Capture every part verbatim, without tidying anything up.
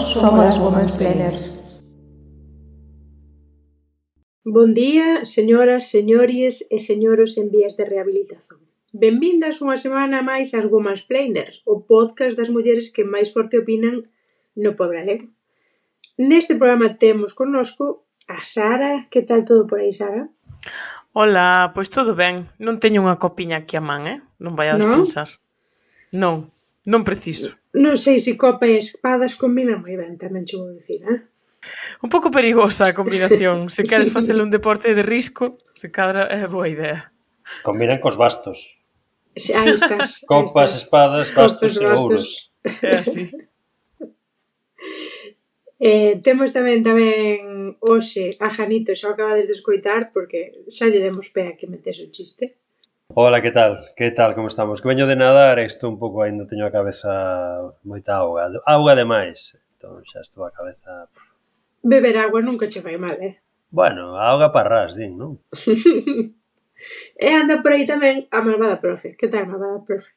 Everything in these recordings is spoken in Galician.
somos as Womansplainers. Bon día, señoras, señores e señoros en vías de rehabilitación. Benvindas unha semana máis ás Womansplainers, o podcast das mulleres que máis forte opinan no pobo galego. Neste programa temos connosco a Sara. Que tal todo por aí, Sara? Ola, pois todo ben. Non teño unha copiña aquí a man, eh? Non vaiades Non? pensar. Non, non preciso. Non sei se copa e espadas combinan moi ben, tamén che vou dicir, eh? Un pouco perigosa a combinación. Se queres facer un deporte de risco, se cadra é boa idea. Combinan cos bastos. Aí estás. Copas, aí estás. espadas, bastos Copas, e bastos. ouros. É así. Eh, temos tamén tamén hoxe a Janito, xa o acabades de escoitar porque xa lle demos pé a que metes o chiste. Hola, que tal? Que tal, como estamos? Que veño de nadar e estou un pouco ainda, teño a cabeza moita auga. Auga demais. Entón xa estou a cabeza... Beber agua nunca che fai mal, eh? Bueno, a auga parrás, din, non? E anda por aí tamén a malvada profe. Que tal, malvada profe?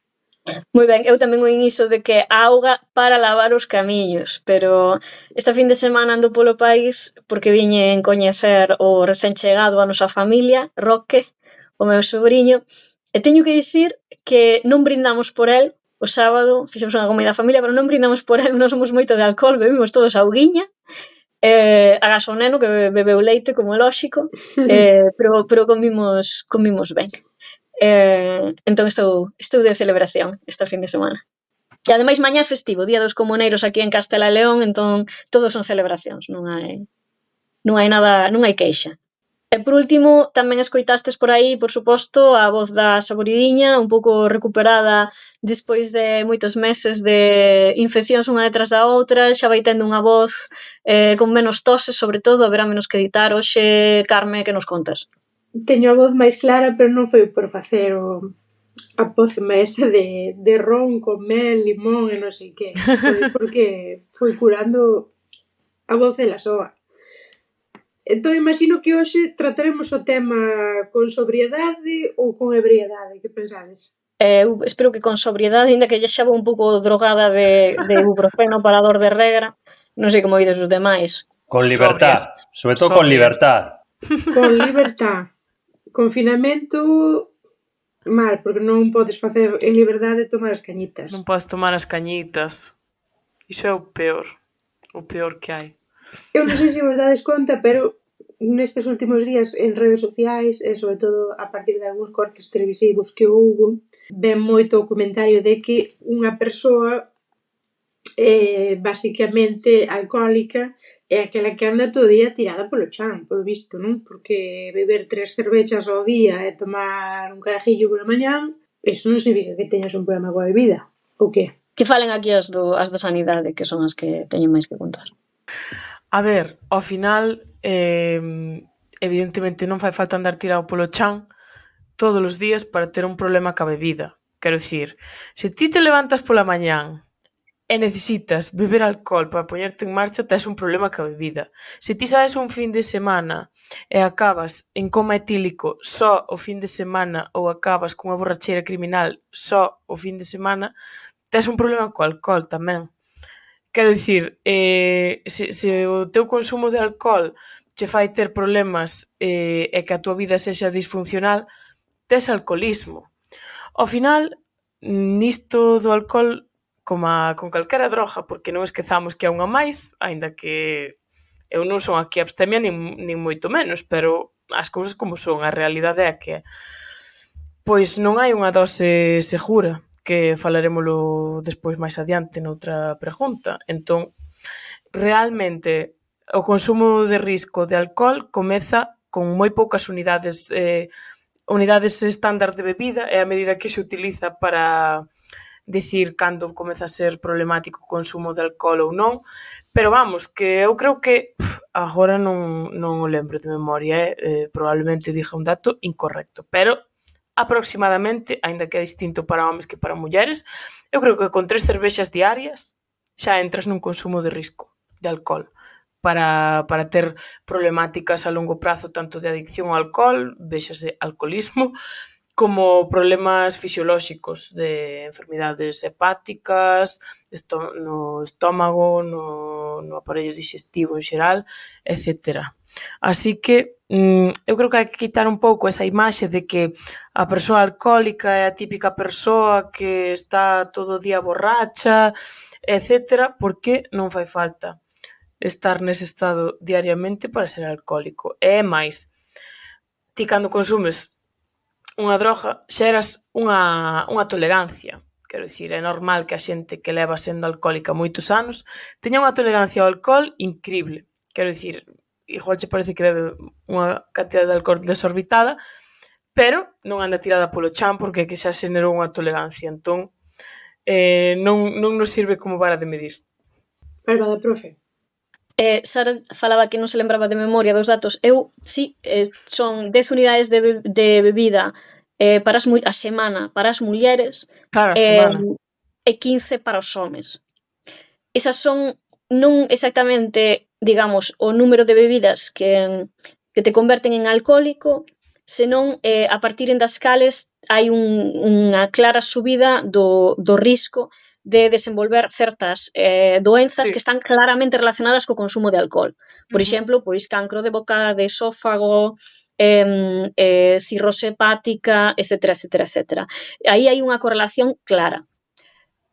Moi ben, eu tamén oín iso de que a auga para lavar os camiños, pero esta fin de semana ando polo país porque viñen coñecer o recén chegado a nosa familia, Roque, o meu sobrinho, e teño que dicir que non brindamos por el o sábado, fixemos unha comida a familia, pero non brindamos por el, non somos moito de alcohol, bebimos todos auguiña, eh, agás o neno que bebeu leite, como é lóxico, eh, pero, pero comimos, comimos ben. Eh, entón estou, estou de celebración esta fin de semana. E ademais mañá é festivo, Día dos Comuneiros aquí en Castela e León, entón todos son celebracións, non hai non hai nada, non hai queixa. E por último, tamén escoitastes por aí, por suposto, a voz da Saboridiña, un pouco recuperada despois de moitos meses de infeccións unha detrás da outra, xa vai tendo unha voz eh, con menos toses, sobre todo, haberá menos que editar. Hoxe, Carme, que nos contas? Teño a voz máis clara, pero non foi por facer o a pócima esa de, de ron con mel, limón e non sei que. Foi porque foi curando a voz de la soa. Entón, imagino que hoxe trataremos o tema con sobriedade ou con ebriedade. Que pensades? Eh, eu espero que con sobriedade, ainda que lle xa vou un pouco drogada de, de ibuprofeno para dor de regra. Non sei como ides os demais. Con libertad, Sobrias. sobre todo con Sobrias. libertad. Con libertad. Confinamento mal, porque non podes facer en liberdade tomar as cañitas. Non podes tomar as cañitas. Iso é o peor. O peor que hai. Eu non sei se vos dades conta, pero nestes últimos días en redes sociais e sobre todo a partir de algúns cortes televisivos que houbo, ven moito o comentario de que unha persoa eh, basicamente alcohólica é aquela que anda todo o día tirada polo chan, polo visto, non? Porque beber tres cervechas ao día e tomar un carajillo pola mañán, eso non significa que teñas un problema coa bebida, ou que? Que falen aquí as, do, as da sanidade, que son as que teñen máis que contar. A ver, ao final, eh, evidentemente non fai falta andar tirado polo chan todos os días para ter un problema ca bebida. Quero dicir, se ti te levantas pola mañán e necesitas beber alcohol para poñerte en marcha, tes un problema ca bebida. Se ti sabes un fin de semana e acabas en coma etílico só o fin de semana ou acabas cunha borracheira criminal só o fin de semana, tes un problema co alcohol tamén. Quero dicir, eh, se, se o teu consumo de alcohol che fai ter problemas eh, e que a tua vida sexa disfuncional, tes alcoholismo. Ao final, nisto do alcohol, como a, con calquera droga, porque non esquezamos que é unha máis, aínda que eu non son aquí abstemia nin, nin moito menos, pero as cousas como son, a realidade é que pois non hai unha dose segura, que falaremoslo despois máis adiante noutra pregunta. Entón, realmente, o consumo de risco de alcohol comeza con moi poucas unidades eh, unidades estándar de bebida, e a medida que se utiliza para dicir cando comeza a ser problemático o consumo de alcohol ou non, pero vamos, que eu creo que pff, agora non, non o lembro de memoria, eh? Eh, probablemente diga un dato incorrecto, pero aproximadamente, aínda que é distinto para homes que para mulleres, eu creo que con tres cervexas diarias xa entras nun consumo de risco de alcohol para, para ter problemáticas a longo prazo tanto de adicción ao alcohol, véxase alcoholismo, como problemas fisiolóxicos de enfermidades hepáticas, esto, no estómago, no, no aparello digestivo en xeral, etcétera. Así que mm, eu creo que hai que quitar un pouco esa imaxe de que a persoa alcohólica é a típica persoa que está todo o día borracha, etcétera, porque non fai falta estar nese estado diariamente para ser alcohólico. E é máis, ti cando consumes unha droga xeras unha, unha tolerancia. Quero dicir, é normal que a xente que leva sendo alcohólica moitos anos teña unha tolerancia ao alcohol increíble. Quero dicir, igual che parece que bebe unha cantidad de alcohol desorbitada, pero non anda tirada polo chan porque que xa xenerou unha tolerancia. Entón, eh, non, non nos sirve como vara de medir. Malvada, profe. Eh, Sara falaba que non se lembraba de memoria dos datos. Eu, sí, eh, son dez unidades de, be de bebida eh, para as a semana para as mulleres Claro, a eh, semana. e quince para os homes. Esas son non exactamente, digamos, o número de bebidas que, que te converten en alcohólico, senón eh, a partir das cales hai un, unha clara subida do, do risco de desenvolver certas eh, doenzas Sí. que están claramente relacionadas co consumo de alcohol. Por Ujú. exemplo, pois cancro de boca, de esófago, eh, eh, cirrose hepática, etcétera, etcétera, etcétera. Aí hai unha correlación clara.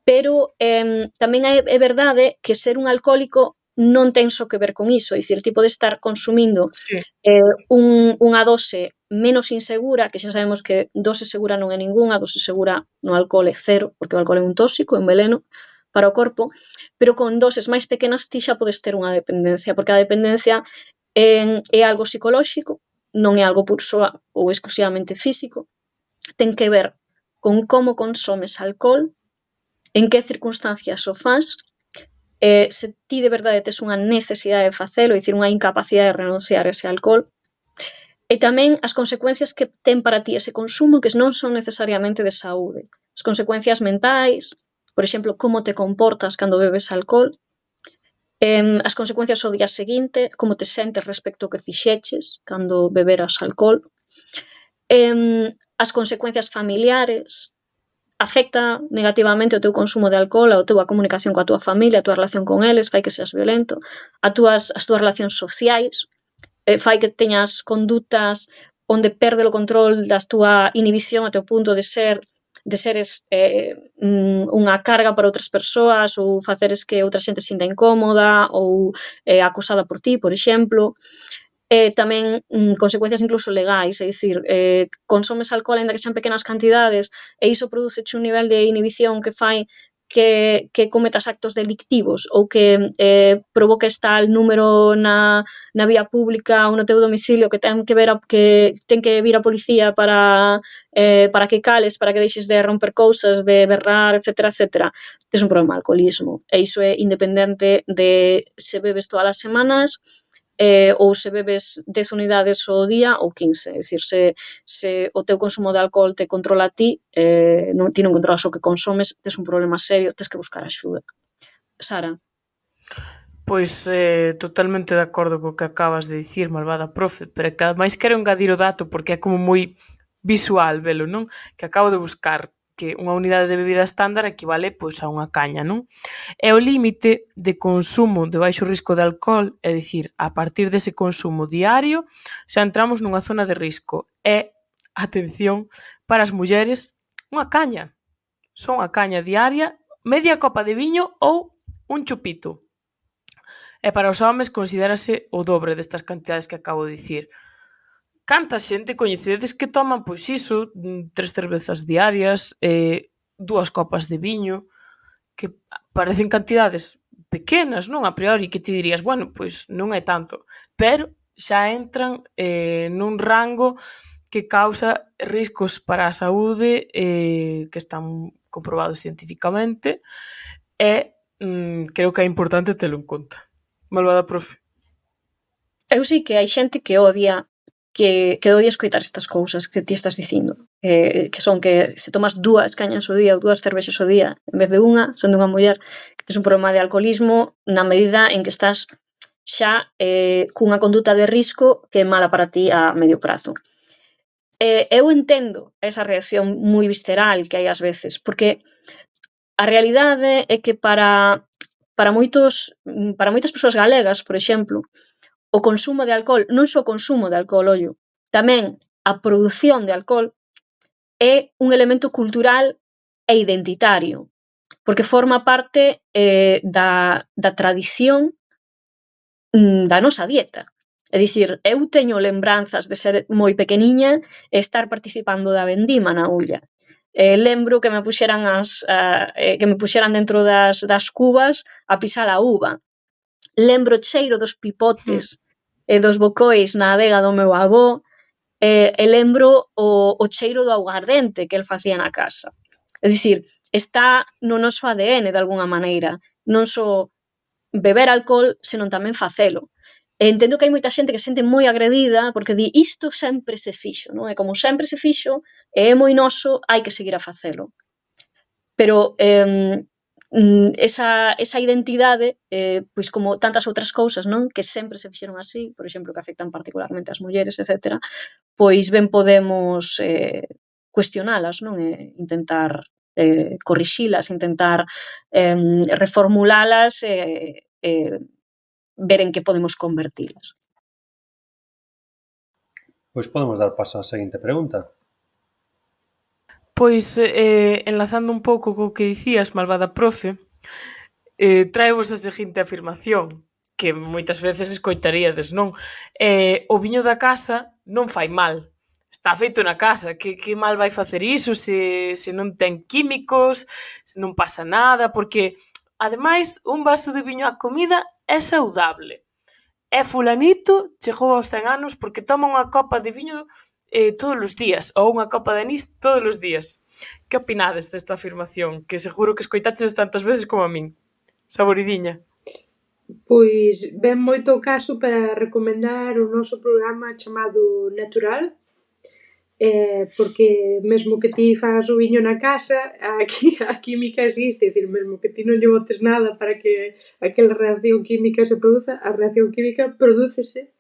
Pero eh, tamén é, é verdade que ser un alcohólico non ten só que ver con iso, é dicir, tipo de estar consumindo Sí. eh, un, unha dose menos insegura, que xa sabemos que dose segura non é ningunha, dose segura no alcohol é cero, porque o alcohol é un tóxico, é un veneno para o corpo, pero con doses máis pequenas ti xa podes ter unha dependencia, porque a dependencia é, é algo psicolóxico, non é algo por soa ou exclusivamente físico, ten que ver con como consomes alcohol, en que circunstancias o faz, eh, se ti de verdade tes unha necesidade de facelo, é dicir, unha incapacidade de renunciar a ese alcohol, e tamén as consecuencias que ten para ti ese consumo, que non son necesariamente de saúde. As consecuencias mentais, por exemplo, como te comportas cando bebes alcohol, eh, as consecuencias ao día seguinte, como te sentes respecto ao que fixeches cando beberas alcohol, eh, as consecuencias familiares, afecta negativamente o teu consumo de alcohol, a tua comunicación coa tua familia, a tua relación con eles, fai que seas violento, a tuas, as túas relacións sociais, eh, fai que teñas condutas onde perde o control da túa inhibición até o punto de ser de seres eh, unha carga para outras persoas ou faceres que outra xente sinta incómoda ou eh, acosada por ti, por exemplo. Eh, tamén mm, consecuencias incluso legais, é dicir, eh, consomes alcohol ainda que sean pequenas cantidades e iso produce un nivel de inhibición que fai que, que cometas actos delictivos ou que eh, provoques tal número na, na vía pública ou no teu domicilio que ten que ver a, que ten que vir a policía para eh, para que cales, para que deixes de romper cousas, de berrar, etcétera, etcétera. Tes un problema de alcoholismo e iso é independente de se bebes todas as semanas eh, ou se bebes dez unidades ao día ou quince, é dicir, se, se o teu consumo de alcohol te controla a ti, eh, non, ti non controlas o que consomes, tes un problema serio, tes que buscar axuda. Sara? Pois eh, totalmente de acordo co que acabas de dicir, malvada profe, pero que ademais quero engadir o dato porque é como moi visual velo, non? Que acabo de buscar que unha unidade de bebida estándar equivale pois a unha caña, non? E o límite de consumo de baixo risco de alcohol, é dicir, a partir dese consumo diario, xa entramos nunha zona de risco. E, atención, para as mulleres, unha caña. Son unha caña diaria, media copa de viño ou un chupito. E para os homes considérase o dobre destas cantidades que acabo de dicir. Canta xente coñecedes que toman, pois iso, tres cervezas diarias, eh, dúas copas de viño, que parecen cantidades pequenas, non? A priori, que ti dirías, bueno, pois non é tanto, pero xa entran eh, nun rango que causa riscos para a saúde eh, que están comprobados científicamente e mm, creo que é importante telo en conta. Malvada profe. Eu sei que hai xente que odia que, que odia escoitar estas cousas que ti estás dicindo, que, que son que se tomas dúas cañas ao día ou dúas cervexas ao día en vez de unha, sendo unha muller, que tes un problema de alcoholismo na medida en que estás xa eh, cunha conduta de risco que é mala para ti a medio prazo. eh, eu entendo esa reacción moi visceral que hai ás veces, porque a realidade é que para para moitos para moitas persoas galegas, por exemplo, o consumo de alcohol, non só o consumo de alcohol, ollo, tamén a produción de alcohol é un elemento cultural e identitario, porque forma parte eh, da, da tradición mm, da nosa dieta. É dicir, eu teño lembranzas de ser moi pequeniña e estar participando da vendima na Ulla. Eh, lembro que me puxeran as uh, eh, que me puxeran dentro das, das cubas a pisar a uva. Lembro o cheiro dos pipotes e dos bocois na adega do meu avó, e, e lembro o, o cheiro do aguardente que el facía na casa. É dicir, está no noso A D N de algunha maneira, non só beber alcohol, senón tamén facelo. E entendo que hai moita xente que se sente moi agredida porque di isto sempre se fixo, non? E como sempre se fixo, e é moi noso, hai que seguir a facelo. Pero eh, esa, esa identidade, eh, pois como tantas outras cousas, non? Que sempre se fixeron así, por exemplo, que afectan particularmente as mulleres, etcétera, pois ben podemos eh, cuestionalas, non? E intentar eh, corrixilas, intentar eh, reformulalas e eh, eh, ver en que podemos convertilas. Pois podemos dar paso á seguinte pregunta. Pois, eh, enlazando un pouco co que dicías, malvada profe, eh, traevos a seguinte afirmación, que moitas veces escoitaríades, non? Eh, o viño da casa non fai mal. Está feito na casa, que, que mal vai facer iso se, se non ten químicos, se non pasa nada, porque, ademais, un vaso de viño á comida é saudable. E fulanito chegou aos cen anos porque toma unha copa de viño eh, todos os días, ou unha copa de anís todos os días. Que opinades desta afirmación? Que seguro que escoitaches tantas veces como a min. Saboridiña. Pois ben moito o caso para recomendar o noso programa chamado Natural, eh, porque mesmo que ti fagas o viño na casa, aquí a química existe, é dicir, mesmo que ti non lle botes nada para que aquela reacción química se produza, a reacción química prodúcese,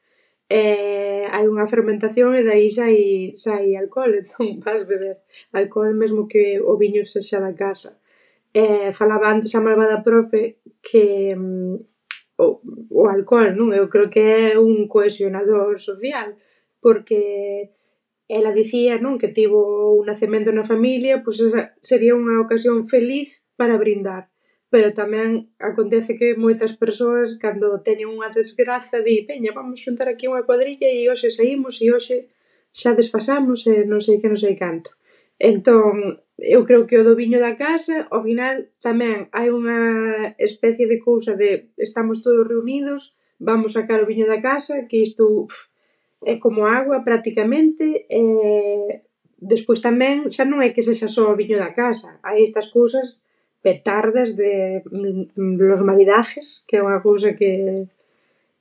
eh, hai unha fermentación e dai sai, sai alcohol, entón vas beber alcohol mesmo que o viño sexa da casa. Eh, falaba antes a malvada profe que mm, o, o alcohol, non? Eu creo que é un cohesionador social, porque ela dicía, non, que tivo un nacemento na familia, pois esa sería unha ocasión feliz para brindar. Pero tamén acontece que moitas persoas, cando teñen unha desgraza, di, veña, vamos xuntar aquí unha cuadrilla e hoxe saímos e hoxe xa desfasamos e non sei que non sei canto. Entón, eu creo que o do viño da casa, ao final, tamén hai unha especie de cousa de estamos todos reunidos, vamos sacar o viño da casa, que isto pff, é como agua prácticamente, e despois tamén xa non é que sexa só o viño da casa, hai estas cousas petardas de los maridajes, que é unha cousa que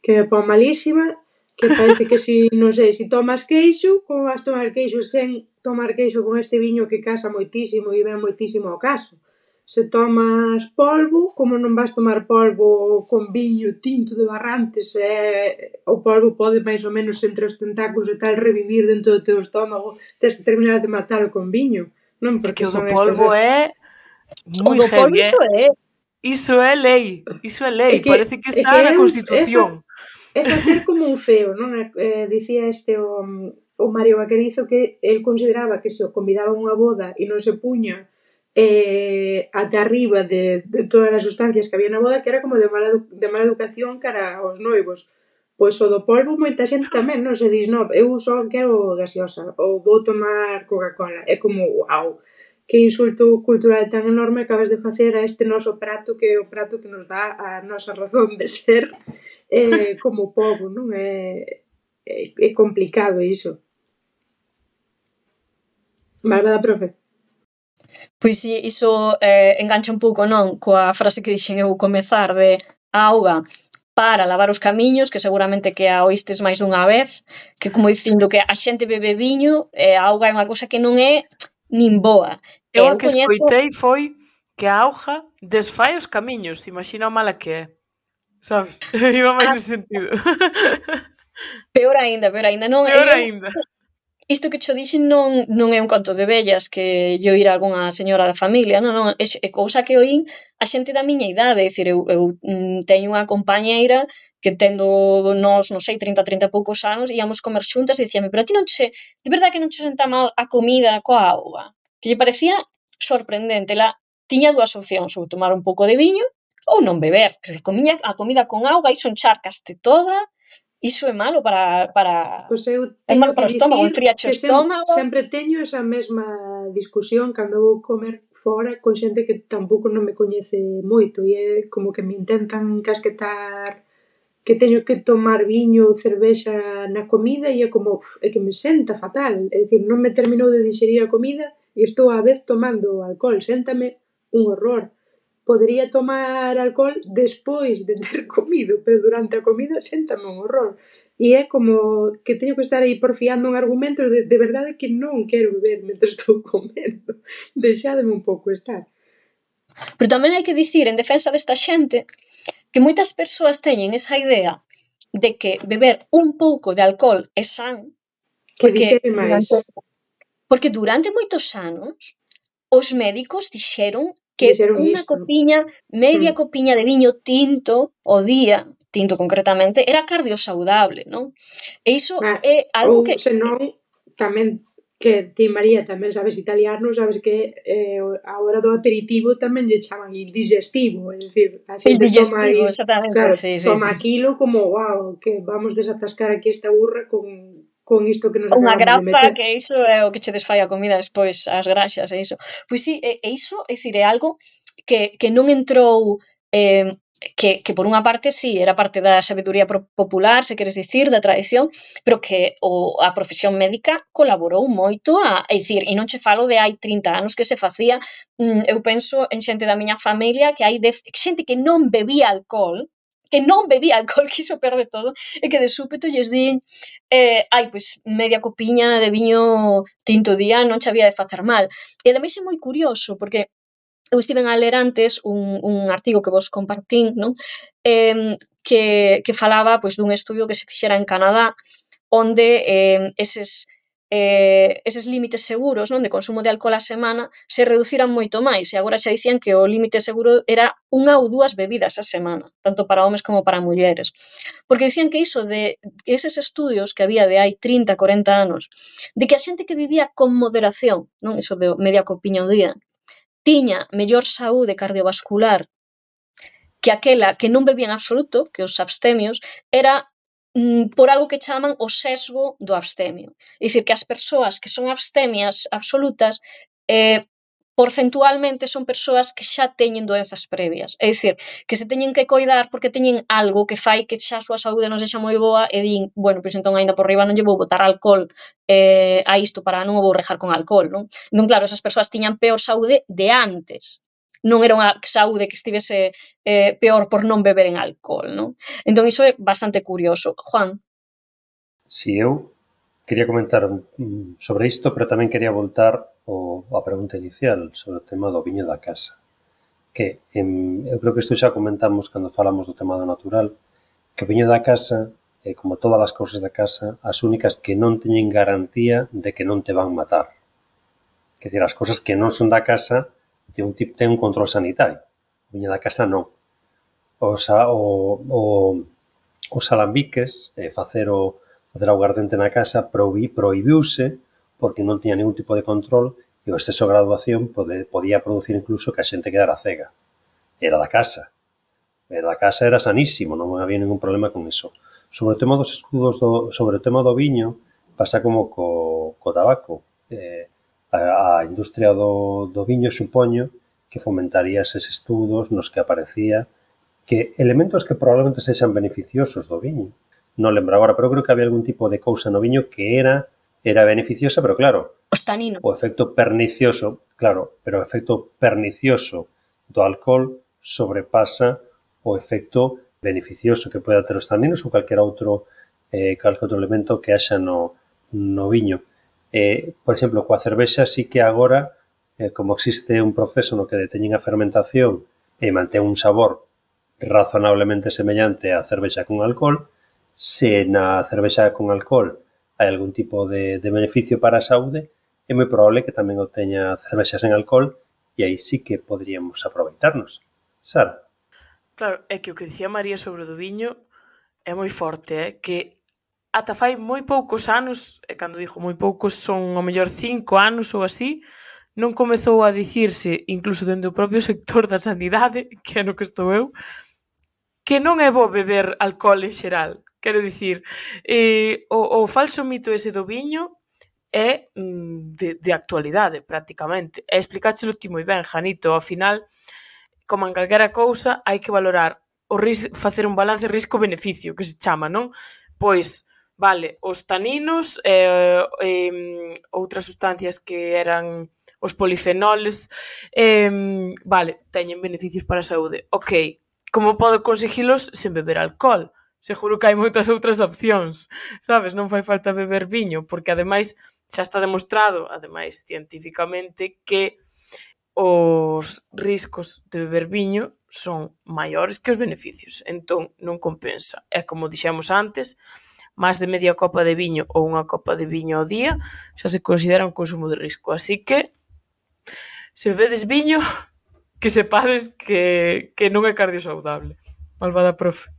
que me pon malísima, que parece que si, non sei, si tomas queixo, como vas tomar queixo sen tomar queixo con este viño que casa moitísimo e ven moitísimo ao caso. Se tomas polvo, como non vas tomar polvo con viño tinto de Barrantes, e o polvo pode máis ou menos entre os tentáculos e tal revivir dentro do teu estómago, tens que terminar de matalo con viño, non? Porque o do polvo é moi heavy, polvo eh? iso é. Iso é lei, iso é lei, é que, parece que está é que na Constitución. É, fa, é facer como un feo, non? Eh, dicía este o, o Mario Vaquerizo que el consideraba que se o convidaba a unha boda e non se puña eh, ata arriba de, de todas as sustancias que había na boda, que era como de mala, de mala educación cara aos noivos. Pois o do polvo moita xente tamén, non se dis, non, eu só quero gaseosa ou vou tomar Coca-Cola. É como, uau, que insulto cultural tan enorme acabas de facer a este noso prato, que é o prato que nos dá a nosa razón de ser eh, como povo, non? É, é, é complicado iso. Malvada profe. Pois si, iso eh, engancha un pouco, non? Coa frase que dixen eu comezar de a auga para lavar os camiños, que seguramente que a oístes máis dunha vez, que como dicindo que a xente bebe viño, e a auga é unha cousa que non é nin boa. Eu a que coñezo... escoitei foi que a auga desfai os camiños, imagina o mala que é. Sabes? Iba máis ah. nese sentido. Peor aínda, peor aínda. Non, peor eu... aínda. isto que cho dixen non, non é un conto de vellas que yo ir a algunha señora da familia, non, non, é, é cousa que oín a xente da miña idade, é dicir, eu, eu mm, teño unha compañeira que tendo nos, non sei, trinta, trinta e poucos anos, íamos comer xuntas e dicíame, pero a ti non che, de verdade que non che senta mal a comida coa auga? Que lle parecía sorprendente, la tiña dúas opcións, ou tomar un pouco de viño ou non beber, que comiña a comida con auga, iso encharcaste toda, iso é malo para, para Pois eu é teño malo para que o estómago, dicir enfriache o que sem, estómago. sempre teño esa mesma discusión cando vou comer fora con xente que tampouco non me coñece moito e é como que me intentan casquetar que teño que tomar viño ou cervexa na comida e é como, uf, é que me senta fatal, é dicir, non me terminou de digerir a comida e estou á vez tomando alcohol, séntame un horror. Podería tomar alcohol despois de ter comido, pero durante a comida séntame un horror. E é como que teño que estar aí porfiando en argumentos de, de verdade que non quero beber mentre estou comendo. Deixádeme un pouco estar. Pero tamén hai que dicir, en defensa desta xente, que moitas persoas teñen esa idea de que beber un pouco de alcohol é san, Que porque dixere máis. durante, porque durante moitos anos os médicos dixeron que Dixeron unha isto. copiña, media Mm. copiña de viño tinto ao día, tinto concretamente, era cardiosaudable, non? E iso Ah, é algo ou que senón, tamén que ti, María, tamén sabes italiano, sabes que eh, a hora do aperitivo tamén lle chaman indigestivo, é dicir, a el xente toma digestivo, aí, exactamente, claro, sí, sí. toma aquilo como, wow, que vamos desatascar aquí esta burra con, con isto que nos Unha acabamos de grapa, meter. que iso é o que che desfai a comida despois, as graxas e iso. Pois sí, e, e iso, é dicir, é algo que, que non entrou, eh, que, que por unha parte sí, era parte da sabedoría popular, se queres dicir, da tradición, pero que o, a profesión médica colaborou moito a, é dicir, e non che falo de hai trinta anos que se facía, mm, eu penso en xente da miña familia que hai dez, xente que non bebía alcohol, que non bebía alcohol, que iso perde todo, e que de súpeto lles din eh, ai, pois media copiña de viño tinto día non che había de facer mal. E ademais é moi curioso, porque eu estiven a ler antes un, un artigo que vos compartín, non? Eh, que, que falaba pois, dun estudio que se fixera en Canadá, onde eh, eses eh, eses límites seguros, non, de consumo de alcohol a semana se reduciran moito máis, e agora xa dicían que o límite seguro era unha ou dúas bebidas a semana, tanto para homes como para mulleres. Porque dicían que iso de que eses estudios que había de hai trinta, corenta anos, de que a xente que vivía con moderación, non, iso de media copiña ao día, tiña mellor saúde cardiovascular que aquela que non bebía en absoluto, que os abstemios, era mm, por algo que chaman o sesgo do abstemio. É dicir, que as persoas que son abstemias absolutas eh, porcentualmente son persoas que xa teñen doenzas previas. É dicir, que se teñen que coidar porque teñen algo que fai que xa a súa saúde non sexa moi boa e din, bueno, pois entón aínda por riba non lle vou botar alcohol eh, a isto para non o vou rejar con alcohol, non? Entón, claro, esas persoas tiñan peor saúde de antes. Non era unha saúde que estivese eh, peor por non beber en alcohol, non? Entón, iso é bastante curioso. Juan? Si, eu quería comentar mm, sobre isto, pero tamén quería voltar o, a pregunta inicial sobre o tema do viño da casa. Que em, eu creo que isto xa comentamos cando falamos do tema do natural, que o viño da casa, eh, como todas as cousas da casa, as únicas que non teñen garantía de que non te van matar. Quer dizer, as cousas que non son da casa ten un, ten un control sanitario. O viño da casa non. Os, o, o, os alambiques, eh, facer o facer aguardente na casa, prohibí, prohibiuse porque non tiña ningún tipo de control e o exceso de graduación pode, podía producir incluso que a xente quedara cega. Era da casa. Era da casa, era sanísimo, non había ningún problema con iso. Sobre o tema dos estudos, do, sobre o tema do viño, pasa como co, co tabaco. Eh, a, a industria do, do viño supoño que fomentaría eses estudos nos que aparecía que elementos que probablemente sexan beneficiosos do viño. Non lembro agora, pero creo que había algún tipo de cousa no viño que era era beneficiosa, pero claro, Os taninos. o efecto pernicioso, claro, pero o efecto pernicioso do alcohol sobrepasa o efecto beneficioso que pode ter os taninos ou calquer outro eh, calquer outro elemento que haxa no, no viño. Eh, por exemplo, coa cervexa sí que agora, eh, como existe un proceso no que deteñen a fermentación e mantén un sabor razonablemente semellante á cervexa con alcohol, se na cervexa con alcohol hai algún tipo de, de beneficio para a saúde, é moi probable que tamén o teña cervexas en alcohol e aí sí que poderíamos aproveitarnos. Sara? Claro, é que o que dicía María sobre o do viño é moi forte, é que ata fai moi poucos anos, e cando digo moi poucos son ao mellor cinco anos ou así, non comezou a dicirse, incluso dentro do propio sector da sanidade, que é no que estou eu, que non é bo beber alcohol en xeral. Quero dicir, eh, o, o falso mito ese do viño é de, de actualidade, prácticamente. E explicáchelo ti moi ben, Janito, ao final, como en calquera cousa, hai que valorar o ris facer un balance risco-beneficio, que se chama, non? Pois, vale, os taninos, eh, eh, outras sustancias que eran os polifenoles, eh, vale, teñen beneficios para a saúde. Ok, como podo conseguilos sen beber alcohol? Seguro que hai moitas outras opcións, sabes? Non fai falta beber viño, porque ademais xa está demostrado, ademais científicamente, que os riscos de beber viño son maiores que os beneficios. Entón, non compensa. É como dixemos antes, máis de media copa de viño ou unha copa de viño ao día xa se considera un consumo de risco. Así que, se bebedes viño, que sepades que, que non é cardiosaudable. Malvada profe.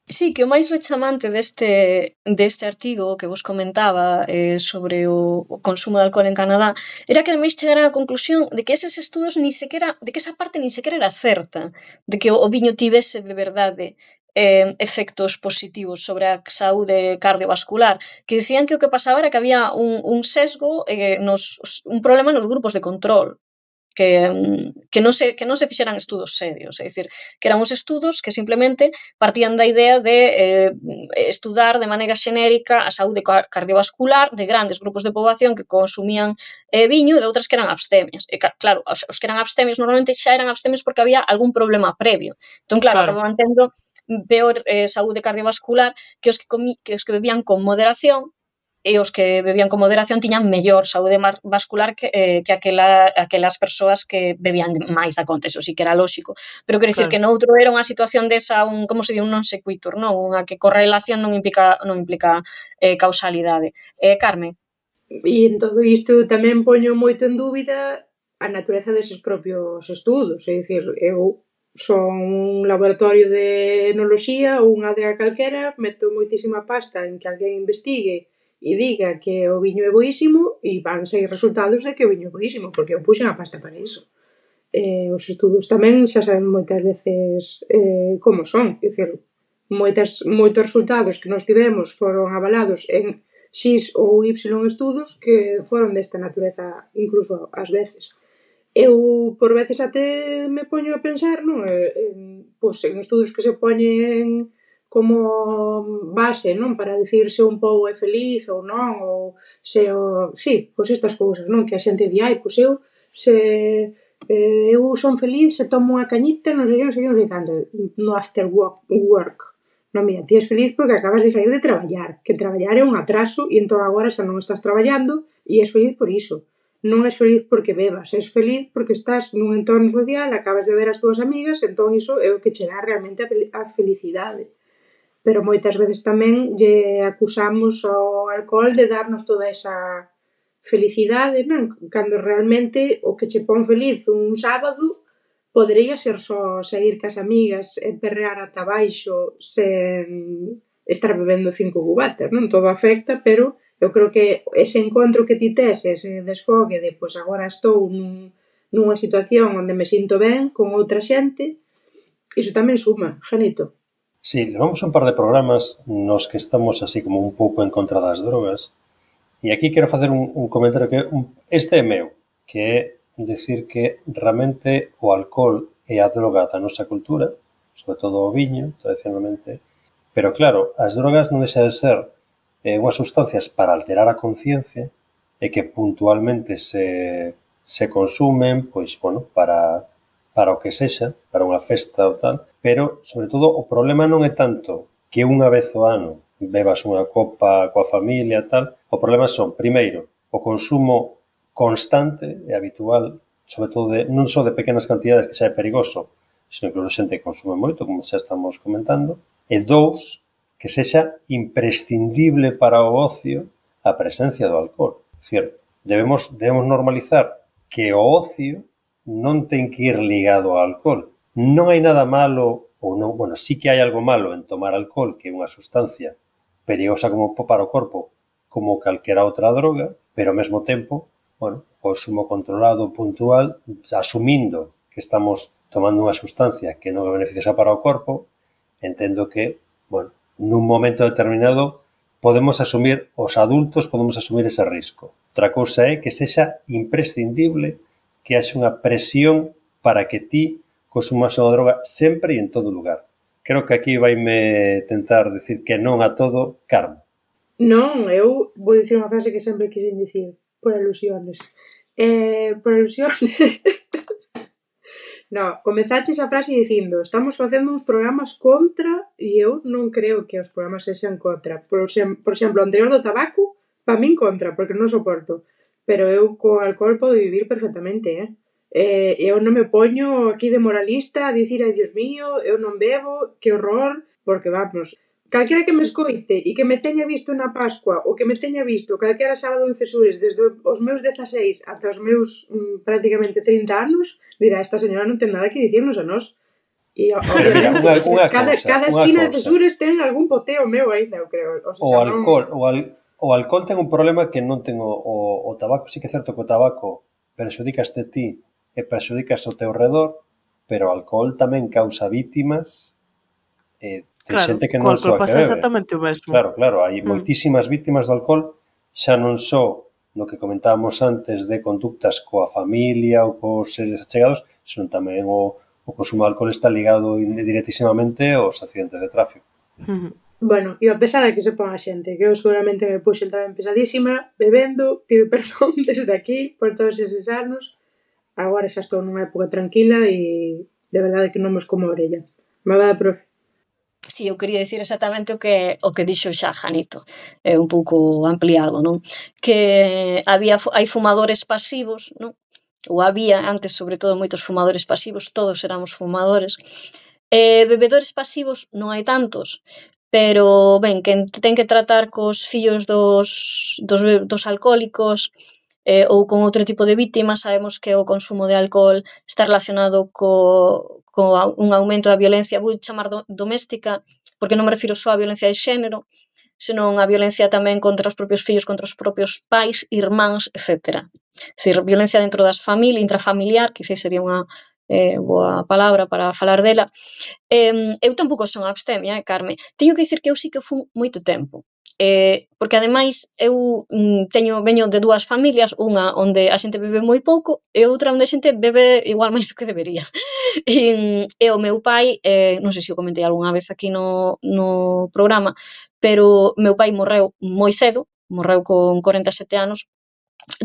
Sí, que o máis rechamante deste, deste artigo que vos comentaba eh, sobre o, o consumo de alcohol en Canadá era que ademais chegaran á conclusión de que eses estudos ni sequera, de que esa parte ni sequera era certa, de que o, o viño tivese de verdade eh, efectos positivos sobre a saúde cardiovascular, que dicían que o que pasaba era que había un, un sesgo, eh, nos, un problema nos grupos de control, que, que, non se, que non se fixeran estudos serios, é dicir, que eran uns estudos que simplemente partían da idea de eh, estudar de maneira xenérica a saúde cardiovascular de grandes grupos de poboación que consumían eh, viño e de outras que eran abstemias. E claro, os, os que eran abstemios normalmente xa eran abstemios porque había algún problema previo. Entón, claro, claro. acababan tendo peor eh, saúde cardiovascular que os que, comi, que os que bebían con moderación, e os que bebían con moderación tiñan mellor saúde vascular que, eh, que aquela, aquelas persoas que bebían máis da conta, eso sí que era lóxico. Pero quero dicir claro. que noutro era unha situación desa, un, como se di, un non sequitur, non? Unha que correlación non implica, non implica eh, causalidade. Eh, Carmen? E en todo isto tamén poño moito en dúbida a natureza deses propios estudos, é dicir, eu son un laboratorio de enoloxía ou unha adega calquera, meto moitísima pasta en que alguén investigue e diga que o viño é boísimo e van sair resultados de que o viño é boísimo, porque eu puxen a pasta para iso. Eh, os estudos tamén xa saben moitas veces eh, como son, é dicir, moitas, moitos resultados que nós tivemos foron avalados en X ou Y estudos que foron desta natureza incluso ás veces. Eu por veces até me poño a pensar, non? En, pois, en estudos que se poñen como base, non? Para dicir se un pobo é feliz ou non, ou se o... Sí, pois estas cousas, non? Que a xente di, ai, pois eu se eh, eu son feliz se tomo unha cañita, non sei que, non sei que, non sei canto, no after work. work. Non, mira, ti és feliz porque acabas de sair de traballar, que traballar é un atraso e entón agora xa non estás traballando e és feliz por iso. Non és feliz porque bebas, és feliz porque estás nun entorno social, acabas de ver as túas amigas, entón iso é o que che dá realmente a felicidade. Pero moitas veces tamén lle acusamos ao alcohol de darnos toda esa felicidade, non? Cando realmente o que che pon feliz un sábado podería ser só sair cas amigas e perrear ata baixo sen estar bebendo cinco cubatas, non? Todo afecta, pero eu creo que ese encontro que ti tes, ese desfogue de, pois agora estou nun, nunha situación onde me sinto ben con outra xente, iso tamén suma, Janito. Sí, levamos un par de programas nos que estamos así como un pouco en contra das drogas e aquí quero facer un, un comentario que un, este é meu, que é decir que realmente o alcohol é a droga da nosa cultura, sobre todo o viño, tradicionalmente, pero claro, as drogas non deixa de ser eh, unhas sustancias para alterar a conciencia e que puntualmente se, se consumen, pois, bueno, para, para o que sexa, para unha festa ou tal, pero, sobre todo, o problema non é tanto que unha vez ao ano bebas unha copa coa familia e tal, o problema son, primeiro, o consumo constante e habitual, sobre todo de, non só de pequenas cantidades que xa é perigoso, sino incluso xente que consume moito, como xa estamos comentando, e dous, que sexa imprescindible para o ocio a presencia do alcohol. É dicir, debemos, debemos normalizar que o ocio non ten que ir ligado ao alcohol. Non hai nada malo, ou non, bueno, sí que hai algo malo en tomar alcohol, que é unha sustancia perigosa como para o corpo, como calquera outra droga, pero ao mesmo tempo, bueno, consumo controlado, puntual, asumindo que estamos tomando unha sustancia que non é beneficiosa para o corpo, entendo que, bueno, nun momento determinado podemos asumir, os adultos podemos asumir ese risco. Outra cousa é que sexa imprescindible que haxa unha presión para que ti consumas unha droga sempre e en todo lugar. Creo que aquí vaime tentar decir que non a todo, Carmo. Non, eu vou dicir unha frase que sempre quixen dicir, por alusiones. Eh, por alusiones... No, comezaches a frase dicindo estamos facendo uns programas contra e eu non creo que os programas sexan contra. Por, por exemplo, o anterior do tabaco, pa min contra, porque non soporto. Pero eu co alcohol podo vivir perfectamente, eh? eh eu non me poño aquí de moralista a dicir, ai, Dios mío, eu non bebo, que horror, porque vamos... Calquera que me escoite e que me teña visto na Pascua ou que me teña visto calquera sábado en Cesures desde os meus dezaseis ata os meus mm, prácticamente trinta anos, dirá, esta señora non ten nada que dicirnos a nós. E, obviamente, unha, unha cada, cosa, cada esquina de Cesures ten algún poteo meu aínda, eu creo. O, sea, o alcohol, non... o, al, o alcohol ten un problema que non ten o, o, o tabaco, sí que é certo que o tabaco perxudicaste ti e perxudicas o teu redor, pero o alcohol tamén causa vítimas e de claro, xente que non só a que bebe. Exactamente o mesmo. Claro, claro, hai mm. moitísimas vítimas do alcohol, xa non só no que comentábamos antes de conductas coa familia ou cos seres achegados, senón tamén o, o consumo de alcohol está ligado directísimamente aos accidentes de tráfico. Mm. Bueno, e a pesar de que se pon a xente, que eu seguramente me puxen tamén pesadísima, bebendo, pido perdón desde aquí por todos eses anos, agora xa estou nunha época tranquila e de verdade que non mos como a orella. Me va dar, profe. Si, eu quería dicir exactamente o que o que dixo xa Janito, é un pouco ampliado, non? Que había hai fumadores pasivos, non? Ou había antes, sobre todo, moitos fumadores pasivos, todos éramos fumadores. Eh, bebedores pasivos non hai tantos, pero ben, que ten que tratar cos fillos dos dos, dos alcohólicos eh, ou con outro tipo de víctimas, sabemos que o consumo de alcohol está relacionado co co un aumento da violencia, vou chamar do, doméstica, porque non me refiro só á violencia de xénero, senón a violencia tamén contra os propios fillos, contra os propios pais, irmáns, etcétera. É dicir, violencia dentro das familias, intrafamiliar, quizás sería unha eh, boa palabra para falar dela. Eh, eu tampouco son abstemia, eh, Carme. Teño que dicir que eu sí que fun moito tempo. Eh, porque ademais eu mm, teño veño de dúas familias, unha onde a xente bebe moi pouco e outra onde a xente bebe igual máis do que debería. E, e o meu pai, eh, non sei se o comentei algunha vez aquí no, no programa, pero meu pai morreu moi cedo, morreu con corenta e sete anos,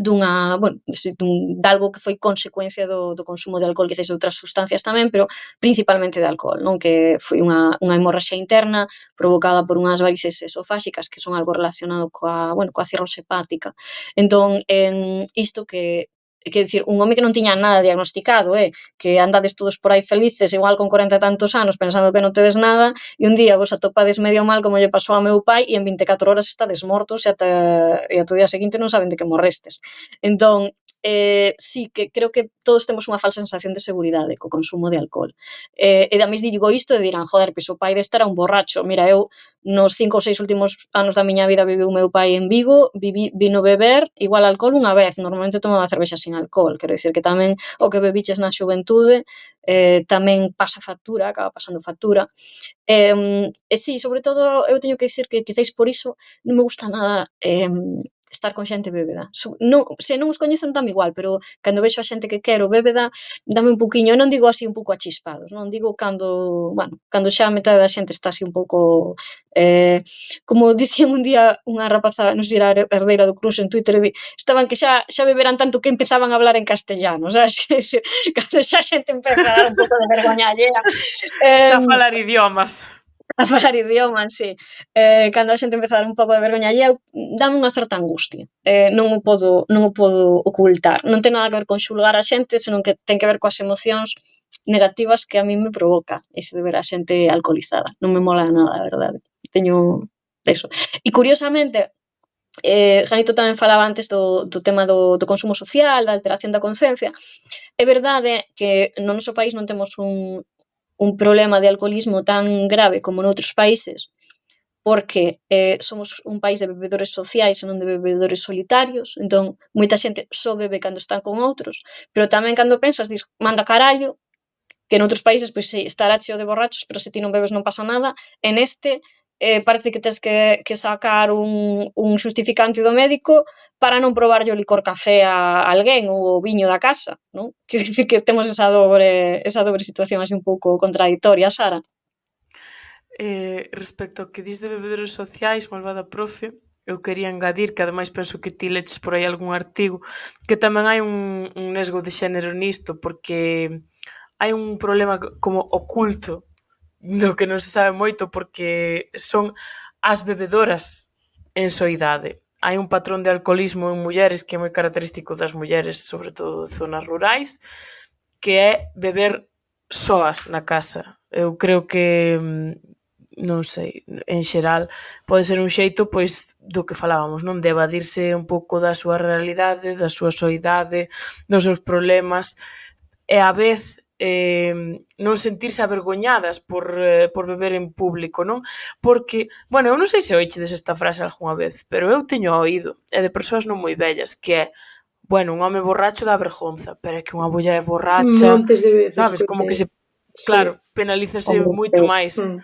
dunha, bueno, dun, de algo que foi consecuencia do, do consumo de alcohol, quizás de outras sustancias tamén, pero principalmente de alcohol, non? Que foi unha, unha hemorraxia interna provocada por unhas varices esofáxicas que son algo relacionado coa, bueno, coa cirrose hepática. Entón, en isto que que decir, un home que non tiña nada diagnosticado, eh, que andades todos por aí felices, igual con corenta e tantos anos, pensando que non tedes nada, e un día vos atopades medio mal como lle pasou ao meu pai, e en vinte e catro horas estades mortos e ata, e ata o día seguinte non saben de que morrestes. Entón, eh, sí, que creo que todos temos unha falsa sensación de seguridade co consumo de alcohol. Eh, e da mis digo isto e dirán, joder, pois o pai deste era un borracho. Mira, eu nos cinco ou seis últimos anos da miña vida viviu o meu pai en Vigo, vivi, vino beber igual alcohol unha vez, normalmente tomaba cervexa sin alcohol, quero dicir que tamén o que bebiches na xuventude eh, tamén pasa factura, acaba pasando factura. Eh, e sí, sobre todo eu teño que dicir que quizáis por iso non me gusta nada eh, estar con xente bébeda. Non, se non os coñezo non dame igual, pero cando vexo a xente que quero bébeda, dame un pouquiño, non digo así un pouco achispados, non digo cando, bueno, cando xa a metade da xente está así un pouco eh, como dicían un día unha rapaza, non sei, era herdeira do Cruz en Twitter, di, estaban que xa xa beberan tanto que empezaban a hablar en castellano, sabes? Cando xa a xente empeza a dar un pouco de vergoña allea. Eh, xa falar idiomas. A falar idiomas, sí. Eh, cando a xente empeza a dar un pouco de vergoña allea, dame unha certa angustia. Eh, non o podo non o podo ocultar. Non ten nada que ver con xulgar a xente, senón que ten que ver coas emocións negativas que a mí me provoca ese de ver a xente alcoholizada. Non me mola nada, a verdade. Teño eso. E curiosamente, eh, Janito tamén falaba antes do, do tema do, do consumo social, da alteración da conciencia. É verdade que no noso país non temos un, un problema de alcoholismo tan grave como noutros países, porque eh, somos un país de bebedores sociais e non de bebedores solitarios, entón moita xente só bebe cando están con outros, pero tamén cando pensas, dis, manda carallo, que en outros países pois, sí, estará cheo de borrachos, pero se ti non bebes non pasa nada. En este eh, parece que tens que, que sacar un, un justificante do médico para non probarlle o licor café a alguén ou o viño da casa, non? Que, que temos esa dobre, esa dobre situación así un pouco contradictoria, Sara. Eh, respecto ao que dis de bebedores sociais, malvada profe, eu quería engadir, que ademais penso que ti leches por aí algún artigo, que tamén hai un, un nesgo de xénero nisto, porque hai un problema como oculto do que non se sabe moito, porque son as bebedoras en soidade. Hai un patrón de alcoholismo en mulleres que é moi característico das mulleres, sobre todo de zonas rurais, que é beber soas na casa. Eu creo que, non sei, en xeral pode ser un xeito pois do que falábamos, non, de evadirse un pouco da súa realidade, da súa soidade, dos seus problemas, e a vez eh, non sentirse avergoñadas por, eh, por beber en público, non? Porque, bueno, eu non sei se oichedes esta frase algunha vez, pero eu teño oído, e de persoas non moi vellas, que é, bueno, un home borracho dá vergonza, pero é que unha muller borracha, Montes de veces, sabes, como que se, claro, penalízase moito máis Mm.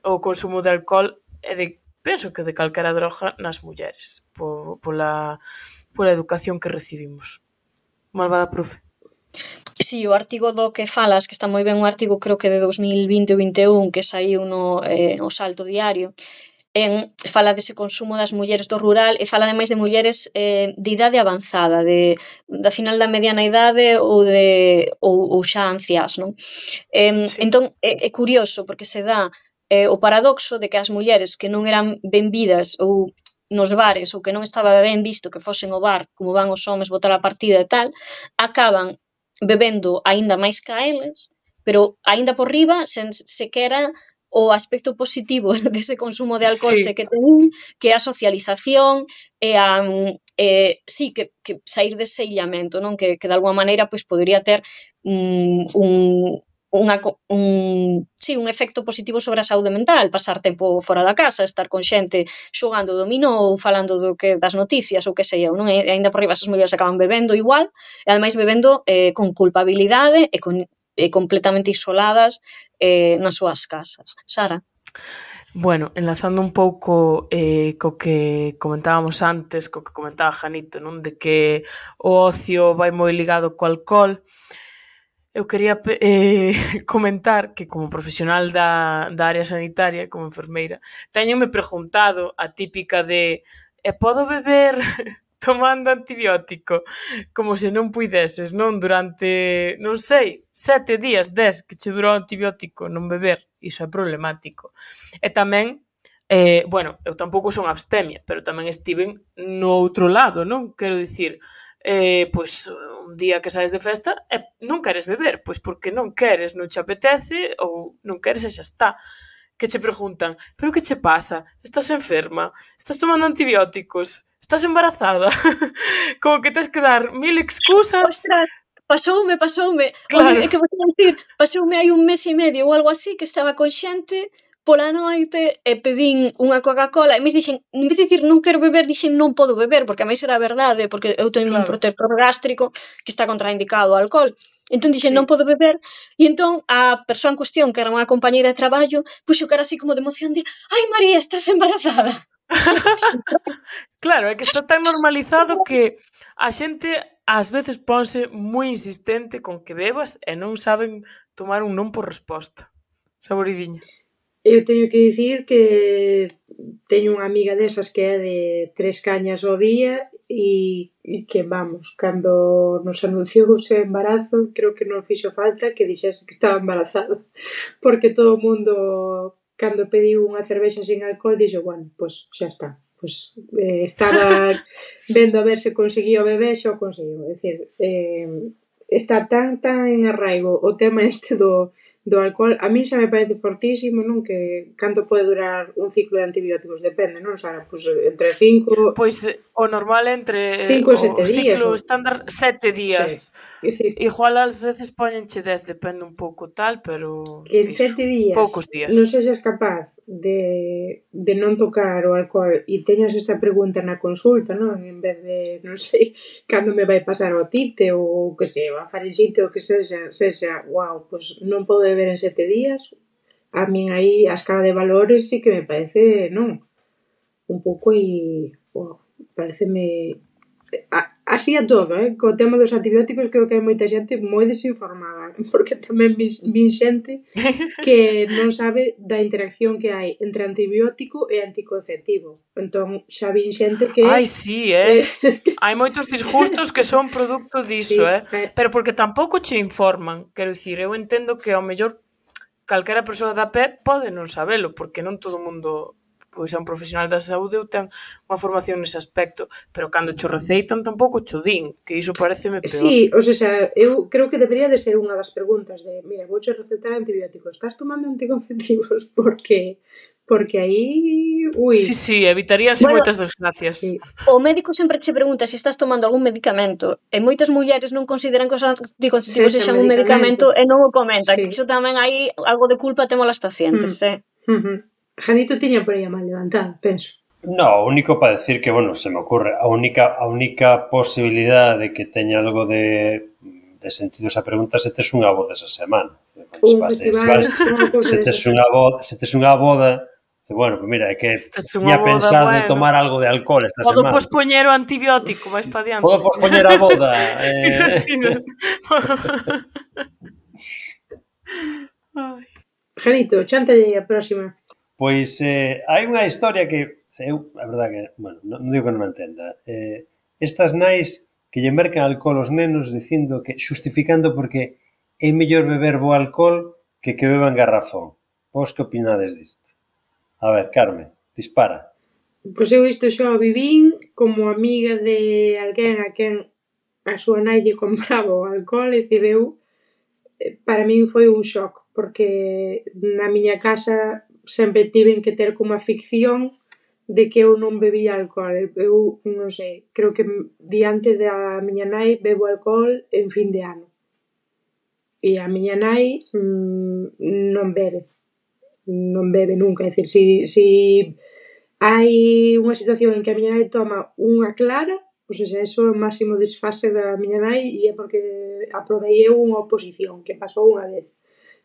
o consumo de alcohol e de, penso que de calquera droga nas mulleres, po, pola, pola educación que recibimos. Malvada profe. Si, o artigo do que falas, que está moi ben, un artigo creo que de dos mil vinte ou vinte e un que saiu no eh, o Salto Diario, en, fala dese consumo das mulleres do rural e fala ademais de mulleres eh, de idade avanzada, de, da final da mediana idade ou de ou, ou xa anciás, non? Eh, Sí. Entón, é, é curioso porque se dá eh, o paradoxo de que as mulleres que non eran benvidas ou nos bares ou que non estaba ben visto que fosen ao bar como van os homes botar a partida e tal, acaban bebendo aínda máis ca eles, pero aínda por riba sen sequera o aspecto positivo dese consumo de alcohol Sí. se que ten, que é a socialización e a eh, sí, que, que sair dese illamento, non? Que, que de alguma maneira pois podría ter mm, un unha, un, sí, un efecto positivo sobre a saúde mental, pasar tempo fora da casa, estar con xente xogando dominó ou falando do que das noticias ou que sei eu, non? E aínda por riba esas mulleres acaban bebendo igual, e ademais bebendo eh, con culpabilidade e con e completamente isoladas eh, nas súas casas. Sara? Bueno, enlazando un pouco eh, co que comentábamos antes, co que comentaba Janito, non, de que o ocio vai moi ligado co alcohol, eu quería eh, comentar que como profesional da, da área sanitaria, como enfermeira, teñome preguntado a típica de e podo beber tomando antibiótico? Como se non puideses, non? Durante, non sei, sete días, dez, que che durou o antibiótico, non beber. Iso é problemático. E tamén, eh, bueno, eu tampouco son abstemia, pero tamén estiven no outro lado, non? Quero dicir, eh, pois un día que saes de festa e non queres beber, pois porque non queres, non che apetece ou non queres e xa está. Que che preguntan, pero que che pasa? Estás enferma? Estás tomando antibióticos? Estás embarazada? Como que tens que dar mil excusas. Ostras, pasoume, pasoume. Claro. Oye, é que vou dicir, pasoume hai un mes e medio ou algo así que estaba con xente pola noite e pedín unha Coca-Cola e me dixen, en vez de dicir non quero beber, dixen non podo beber, porque a máis era verdade, porque eu teño un Claro. protector gástrico que está contraindicado ao alcohol. Entón dixen, Sí. non podo beber, e entón a persoa en cuestión, que era unha compañeira de traballo, puxo cara así como de emoción de ai María, estás embarazada. Claro, é que está tan normalizado que a xente ás veces ponse moi insistente con que bebas e non saben tomar un non por resposta. Saboridiña. Eu teño que dicir que teño unha amiga desas que é de tres cañas ao día e, e que, vamos, cando nos anunciou o seu embarazo, creo que non fixo falta que dixese que estaba embarazada, porque todo o mundo, cando pediu unha cervexa sin alcohol, dixo, bueno, pois pues, xa está. Pois pues, eh, estaba vendo a ver se conseguía o bebé, xa o conseguiu. É dicir, eh, está tan, tan en arraigo o tema este do do alcohol, a mí xa me parece fortísimo, non? Que canto pode durar un ciclo de antibióticos, depende, non, Sara? Pois entre cinco... Pois o normal entre cinco e sete o días. ciclo O... estándar sete días. Sí. Decir, igual ás veces poñenche dez, depende un pouco tal, pero que en iso, sete días poucos días. non sexas capaz de, de non tocar o alcohol e teñas esta pregunta na consulta, non? En vez de, non sei, cando me vai pasar o tite ou que sei, a faringite ou que sexa, sexa, wow, pois non podo beber en sete días. A min aí a escala de valores sí que me parece, non? Un pouco e, wow, pareceme... Así a todo, eh? Co tema dos antibióticos creo que hai moita xente moi desinformada, porque tamén vin xente que non sabe da interacción que hai entre antibiótico e anticonceptivo. Entón, xa vin xente que... Ai, sí, eh? Hai moitos disgustos que son produto diso, sí, eh? eh? Pero porque tampouco che informan. Quero dicir, eu entendo que ao mellor calquera persoa da pé pode non sabelo, porque non todo o mundo... pois é un profesional da saúde ou ten unha formación nese aspecto, pero cando cho receitan tampouco cho din, que iso pareceme peor. Sí, o sea, eu creo que debería de ser unha das preguntas de, mira, vouche recetar antibióticos, estás tomando anticonceptivos? Porque porque aí, ui. Sí, sí, evitaríanse Bueno, moitas desgracias. Sí. O médico sempre che pregunta se estás tomando algún medicamento e moitas mulleres non consideran que os anticonceptivos Sexa sexan un medicamento. medicamento e non o comentan. Sí. Iso tamén hai algo de culpa temos as pacientes, Mm. eh? Uh-huh. Janito tiña por aí a mal levantada, penso. No, o único para decir que, bueno, se me ocurre, a única a única posibilidade de que teña algo de, de sentido esa pregunta se tes unha boda esa semana. Un festival, unha cousa se tes unha boda, se tes unha boda, bueno, pues mira, é que tiña pensado bueno. tomar algo de alcohol esta Podo semana. Podo pospoñer o antibiótico, vais pa diante. Podo pospoñer a boda. Eh... Janito, chántalle a próxima. Pois eh, hai unha historia que eu, a verdade que, bueno, non, non digo que non me entenda. Eh, estas nais que lle mercan alcohol aos nenos dicindo que, xustificando porque é mellor beber bo alcohol que que beban garrafón. Vos que opinades disto? A ver, Carmen, dispara. Pois eu isto xa o vivín como amiga de alguén a quen a súa nai lle compraba o alcohol, e dicir, eu, para min foi un shock, porque na miña casa sempre tiven que ter como a ficción de que eu non bebía alcohol. Eu, non sei, creo que diante da miña nai bebo alcohol en fin de ano. E a miña nai mmm, non bebe. Non bebe nunca. É dicir, si, si hai unha situación en que a miña nai toma unha clara, pois xa eso é o máximo desfase da miña nai, e é porque aprobei eu unha oposición, que pasou unha vez.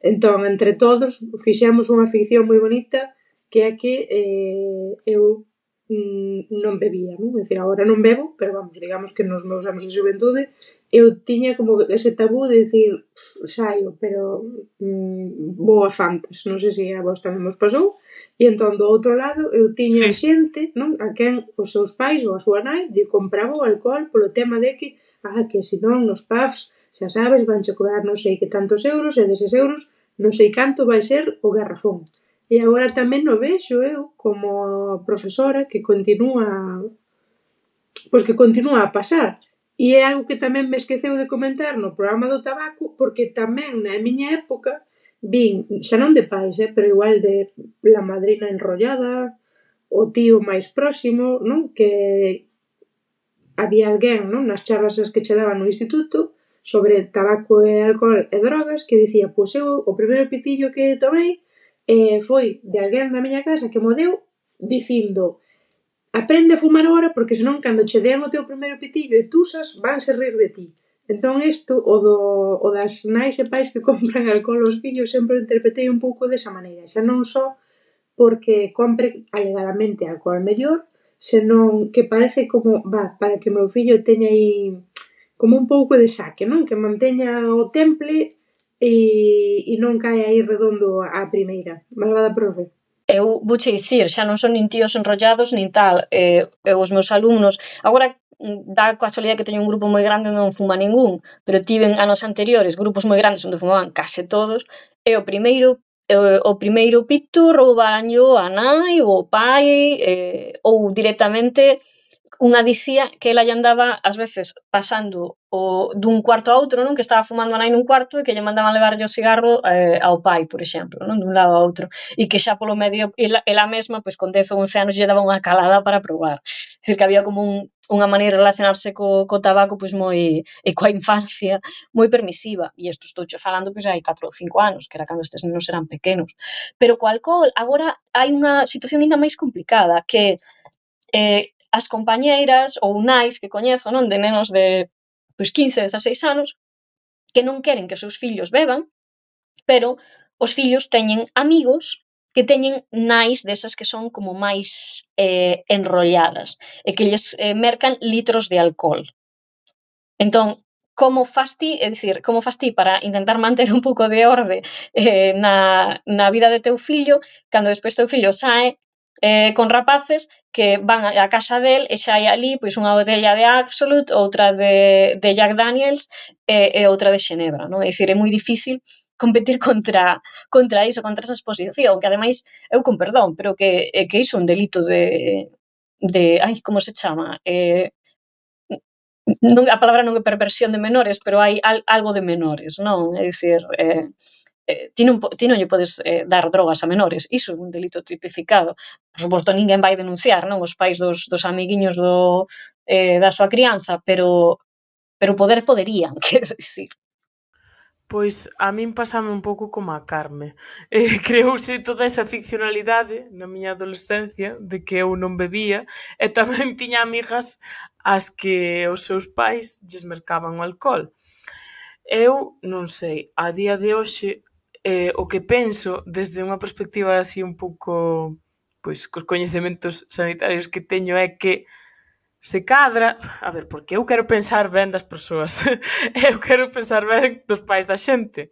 Entón, entre todos, fixemos unha ficción moi bonita, que é que eh, eu mm, non bebía, non? É dicir, agora non bebo, pero vamos, digamos que nos meus anos de xuventude eu tiña como ese tabú de dicir, saio, pero mm, vou a Fantas, non sei se a vos tamén vos pasou, e entón do outro lado eu tiña Sí. xente, non? A quen os seus pais ou a súa nai lle compraba o alcohol polo tema de que, ah, que senón nos pubs, xa sabes, vanche cobrar non sei que tantos euros, e deses euros non sei canto vai ser o garrafón. E agora tamén o vexo eu como profesora que continúa, pois que continúa a pasar. E é algo que tamén me esqueceu de comentar no programa do tabaco, porque tamén na miña época vin, xa non de pais, eh, pero igual de la madrina enrollada, o tío máis próximo, non? Que había alguén, non? Nas charlas as que che daban no instituto sobre tabaco e alcohol e drogas, que dicía, pois eu o primeiro pitillo que tomei eh, foi de alguén da miña casa que mo deu dicindo, aprende a fumar agora porque senón cando che dean o teu primeiro pitillo e tusas, vanse rir de ti. Entón isto, o, do, o das nais e pais que compran alcohol aos fillos, sempre o interpretei un pouco desa maneira. Xa non só porque compre alegadamente alcohol mellor, senón que parece como, va, para que o meu fillo teña aí como un pouco de saque, non? Que manteña o temple e, e non cae aí redondo a primeira. Malvada profe. Eu vouche dicir, xa non son nin tíos enrollados nin tal, eh, eu os meus alumnos, agora dá casualidade que teño un grupo moi grande onde non fuma ningún, pero tiven anos anteriores grupos moi grandes onde fumaban case todos, e o primeiro eh, o primeiro pito roubaranllo a nai ou o pai, eh, ou directamente unha dicía que ela lle andaba, ás veces, pasando o, dun cuarto a outro, non? Que estaba fumando a nai nun cuarto e que lle mandaban levarlle o cigarro eh, ao pai, por exemplo, non? Dun lado a outro. E que xa polo medio, ela, ela mesma, pois con dez ou once anos, lle daba unha calada para probar. É dicir, que había como un, unha maneira de relacionarse co, co tabaco pois moi, e coa infancia moi permisiva. E isto estou falando pois hai catro ou cinco anos, que era cando estes nenos eran pequenos. Pero co alcohol, agora hai unha situación ainda máis complicada, que eh, as compañeiras ou nais que coñezo, non, de nenos de pois quince, dezaseis anos, que non queren que os seus fillos beban, pero os fillos teñen amigos que teñen nais desas que son como máis eh, enrolladas e que lles eh, mercan litros de alcohol. Entón, como fas ti, é dicir, como fas ti para intentar manter un pouco de orde eh, na, na vida de teu fillo, cando despois teu fillo sae eh, con rapaces que van á casa del e xa hai ali pois unha botella de Absolut, outra de, de Jack Daniels e, e outra de Xenebra, non? É dicir, é moi difícil competir contra contra iso, contra esa exposición, que ademais, eu con perdón, pero que, que iso é un delito de, de ai, como se chama? Eh, non, a palabra non é perversión de menores, pero hai al, algo de menores, non? É dicir, eh, eh, ti, non, ti non lle podes eh, dar drogas a menores, iso é un delito tipificado. Por suposto, ninguén vai denunciar, non? Os pais dos, dos amiguiños do, eh, da súa crianza, pero pero poder poderían, quero dicir. Pois a min pasame un pouco como a Carme. Eh, creouse toda esa ficcionalidade na miña adolescencia de que eu non bebía e tamén tiña amigas as que os seus pais lles mercaban o alcohol. Eu non sei, a día de hoxe eh, o que penso desde unha perspectiva así un pouco pois cos coñecementos sanitarios que teño é que se cadra, a ver, porque eu quero pensar ben das persoas, eu quero pensar ben dos pais da xente.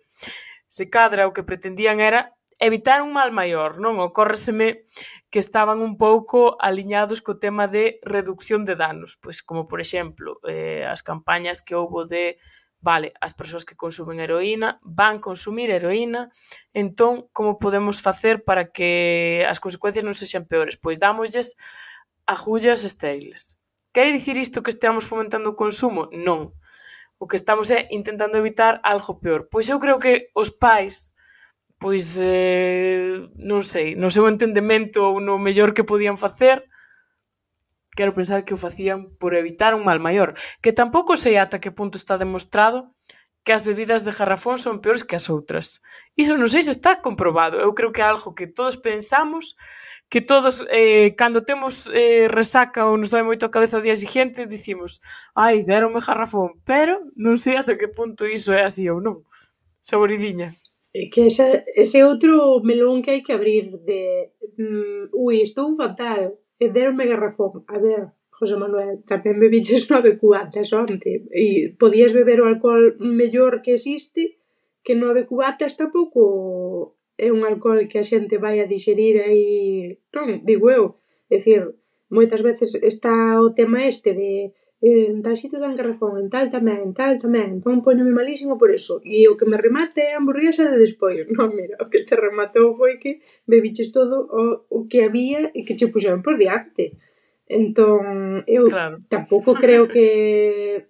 Se cadra o que pretendían era evitar un mal maior, non? Ocórreseme que estaban un pouco aliñados co tema de reducción de danos, pois como por exemplo, eh, as campañas que houbo de vale, as persoas que consumen heroína van consumir heroína, entón como podemos facer para que as consecuencias non sexan peores? Pois dámoslles agullas estériles. Quere dicir isto que esteamos fomentando o consumo? Non. O que estamos é intentando evitar algo peor. Pois eu creo que os pais, pois, eh, non sei, no seu entendemento ou no mellor que podían facer, quero pensar que o facían por evitar un mal maior. Que tampouco sei ata que punto está demostrado que as bebidas de garrafón son peores que as outras. Iso non sei se está comprobado. Eu creo que é algo que todos pensamos, que todos, eh, cando temos eh, resaca ou nos dói moito a cabeza o día seguinte, dicimos, ai, deronme garrafón, pero non sei ata que punto iso é así ou non. Saboridiña. É que esa, ese outro melón que hai que abrir de mm, ui, estou fatal, e deronme garrafón. A ver, José Manuel, tamén bebiches nove cubatas onte e podías beber o alcohol mellor que existe, que nove cubatas tampouco é un alcohol que a xente vai a dixerir aí, non, digo eu. É dicir, moitas veces está o tema este de eh, en tal sitio dan garrafón, en tal tamén, en tal tamén, entón poñome malísimo por eso. E o que me remate é a hamburguesa de despois. Non, mira, o que te rematou foi que bebiches todo o, o que había e que che puxeron por diante. Entón, eu claro. Tampouco creo que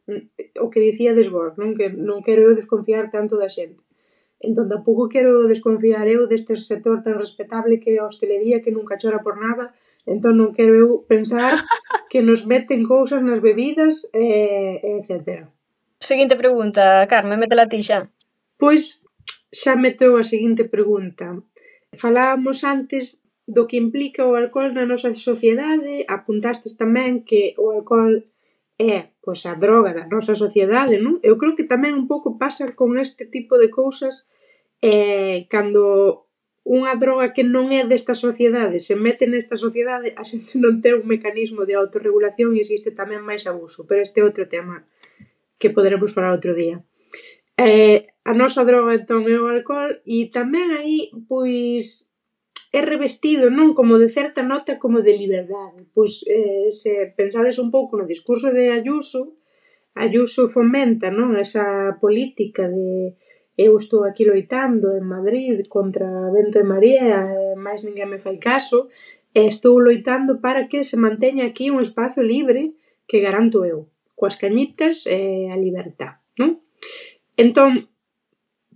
o que dicíades vos, non? Que non quero eu desconfiar tanto da xente. Entón, tampouco quero desconfiar eu deste sector tan respetable que é a hostelería, que nunca chora por nada. Entón, non quero eu pensar que nos meten cousas nas bebidas, e, etcétera. Seguinte pregunta, Carme, métela ti xa. Pois, xa meteu a seguinte pregunta. Falábamos antes do que implica o alcohol na nosa sociedade, apuntastes tamén que o alcohol é pois, a droga da nosa sociedade, non? Eu creo que tamén un pouco pasa con este tipo de cousas eh, cando unha droga que non é desta sociedade se mete nesta sociedade, a xente non ten un mecanismo de autorregulación e existe tamén máis abuso, pero este é outro tema que poderemos falar outro día. Eh, a nosa droga entón é o alcohol e tamén aí pois é revestido, non, como de certa nota como de liberdade. Pois eh, se pensades un pouco no discurso de Ayuso, Ayuso fomenta, non, esa política de eu estou aquí loitando en Madrid contra vento e marea, e máis ninguén me fai caso, e estou loitando para que se manteña aquí un espazo libre que garanto eu, coas cañitas e a libertad, non? Entón,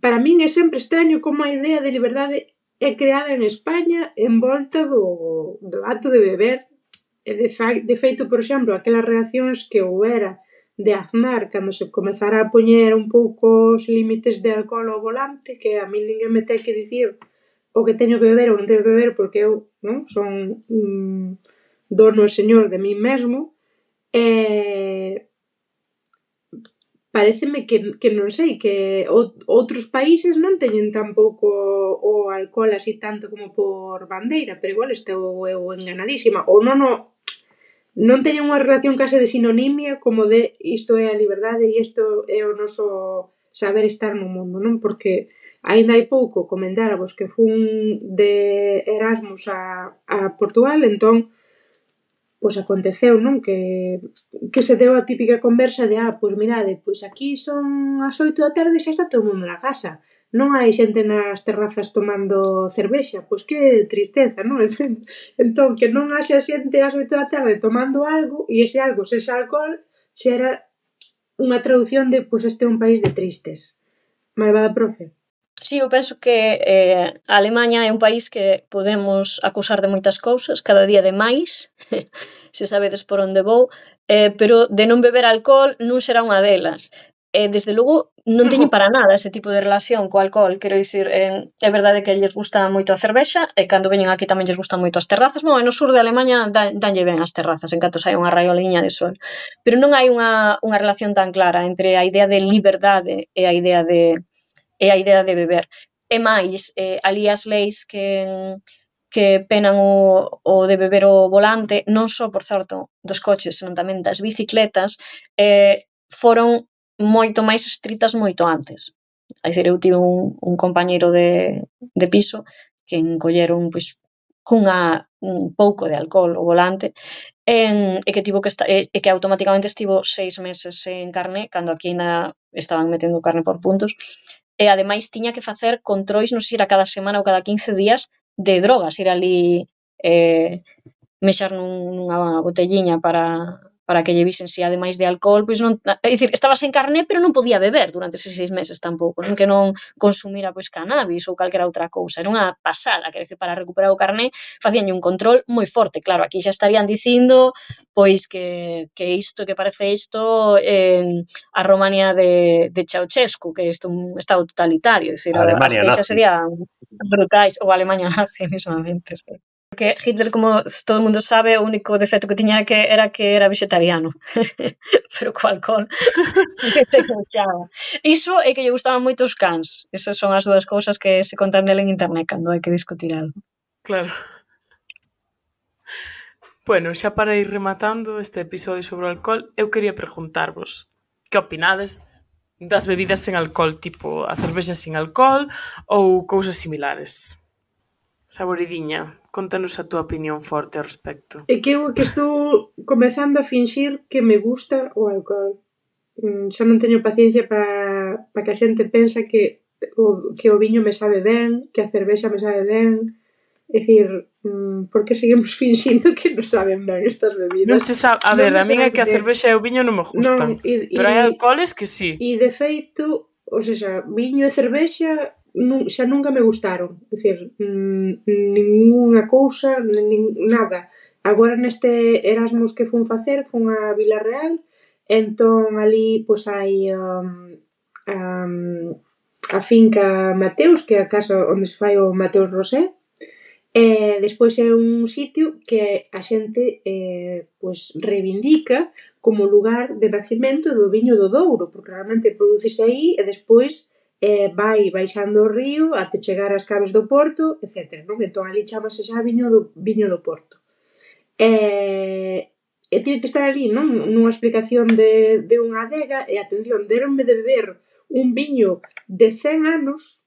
para min é sempre extraño como a idea de liberdade é creada en España en volta do, do acto de beber. E de, fa, de feito, por exemplo, aquelas reaccións que houbera de Aznar cando se comezara a poñer un pouco os límites de alcohol ao volante, que a mí ninguén me ten que dicir o que teño que beber ou non teño que beber porque eu non son mm, dono e señor de mí mesmo, e paréceme que, que non sei, que o, outros países non teñen tampouco o alcohol así tanto como por bandeira, pero igual estou eu enganadísima, ou non o non teñen unha relación case de sinonimia como de isto é a liberdade e isto é o noso saber estar no mundo, non? Porque aínda hai pouco comentáramos que fun de Erasmus a, a Portugal, entón pois aconteceu, non? Que, que se deu a típica conversa de ah, pois mirade, pois aquí son as oito da tarde e xa está todo o mundo na casa. Non hai xente nas terrazas tomando cervexa, pois que tristeza, non? Entón, que non haxa xente ás oito da tarde tomando algo e ese algo, se ese alcohol, xa era unha traducción de pois este é un país de tristes. Malvada profe. Sí, eu penso que eh, a Alemanha é un país que podemos acusar de moitas cousas, cada día de máis, se sabedes por onde vou, eh, pero de non beber alcohol non será unha delas. E, desde logo, non teñen para nada ese tipo de relación co alcohol, quero dicir, eh, é verdade que lles gusta moito a cervexa, e cando veñen aquí tamén lles gustan moito as terrazas, bon, e no sur de Alemanha dan, danlle ben as terrazas, en canto sai unha raioliña de sol, pero non hai unha, unha relación tan clara entre a idea de liberdade e a idea de, e a idea de beber. E máis, eh, ali as leis que... que penan o, o de beber o volante, non só, por certo, dos coches, senón tamén das bicicletas, eh, foron moito máis estritas moito antes. É dicir, eu tive un, un compañeiro de, de piso que encolleron pois, cunha un pouco de alcohol o volante en, e que tivo que esta, e, e que automáticamente estivo seis meses en carné, cando aquí na estaban metendo carne por puntos, e ademais tiña que facer controis, non sei se era cada semana ou cada quince días, de drogas, ir ali eh, mexar nun, nunha botelliña para... para que lle visen si ademais de alcohol, pois non, é dicir, estaba sen carné, pero non podía beber durante eses seis meses tampouco, non que non consumira pois cannabis ou calquera outra cousa, era unha pasada, quero dicir, para recuperar o carné facíanlle un control moi forte, claro, aquí xa estarían dicindo pois que, que isto, que parece isto eh, a Romania de, de Ceausescu, que isto un estado totalitario, é dicir, as que xa serían brutais, ou a Alemanha nazi, mesmamente, sí. Porque Hitler, como todo o mundo sabe, o único defecto que tiña que era que era vegetariano. Pero co alcohol se cochaba. Iso é que lle gustaban moito os cans. Esas son as dúas cousas que se contan dele en internet cando hai que discutir algo. Claro. Bueno, xa para ir rematando este episodio sobre o alcohol, eu quería preguntarvos que opinades das bebidas sen alcohol, tipo a cervexa sen alcohol ou cousas similares. Saboridiña, contanos a túa opinión forte ao respecto. É que eu que estou comezando a finxir que me gusta o alcohol. Mm, xa non teño paciencia para pa que a xente pensa que o, que o viño me sabe ben, que a cervexa me sabe ben. É dicir, mm, por que seguimos finxindo que non saben ben estas bebidas? Non se sabe, a ver, non a min é que a cervexa e o viño non me gustan, non, e, pero hai alcoholes que sí. E de feito, o sea, viño e cervexa nun, xa nunca me gustaron, é dicir, mmm, ninguna cousa, nin, nada. Agora neste Erasmus que fun facer, fun a Vilarreal, entón ali pois hai um, um, a finca Mateus, que é a casa onde se fai o Mateus Rosé, e despois é un sitio que a xente eh, pois reivindica como lugar de nacimento do viño do Douro, porque realmente producese aí e despois eh, vai baixando o río até chegar ás caves do Porto, etcétera. Non? Entón, ali chamase xa viño do, viño do Porto. E, e tiene que estar ali, non? Nunha explicación de, de unha adega, e atención, deronme de beber un viño de cen anos,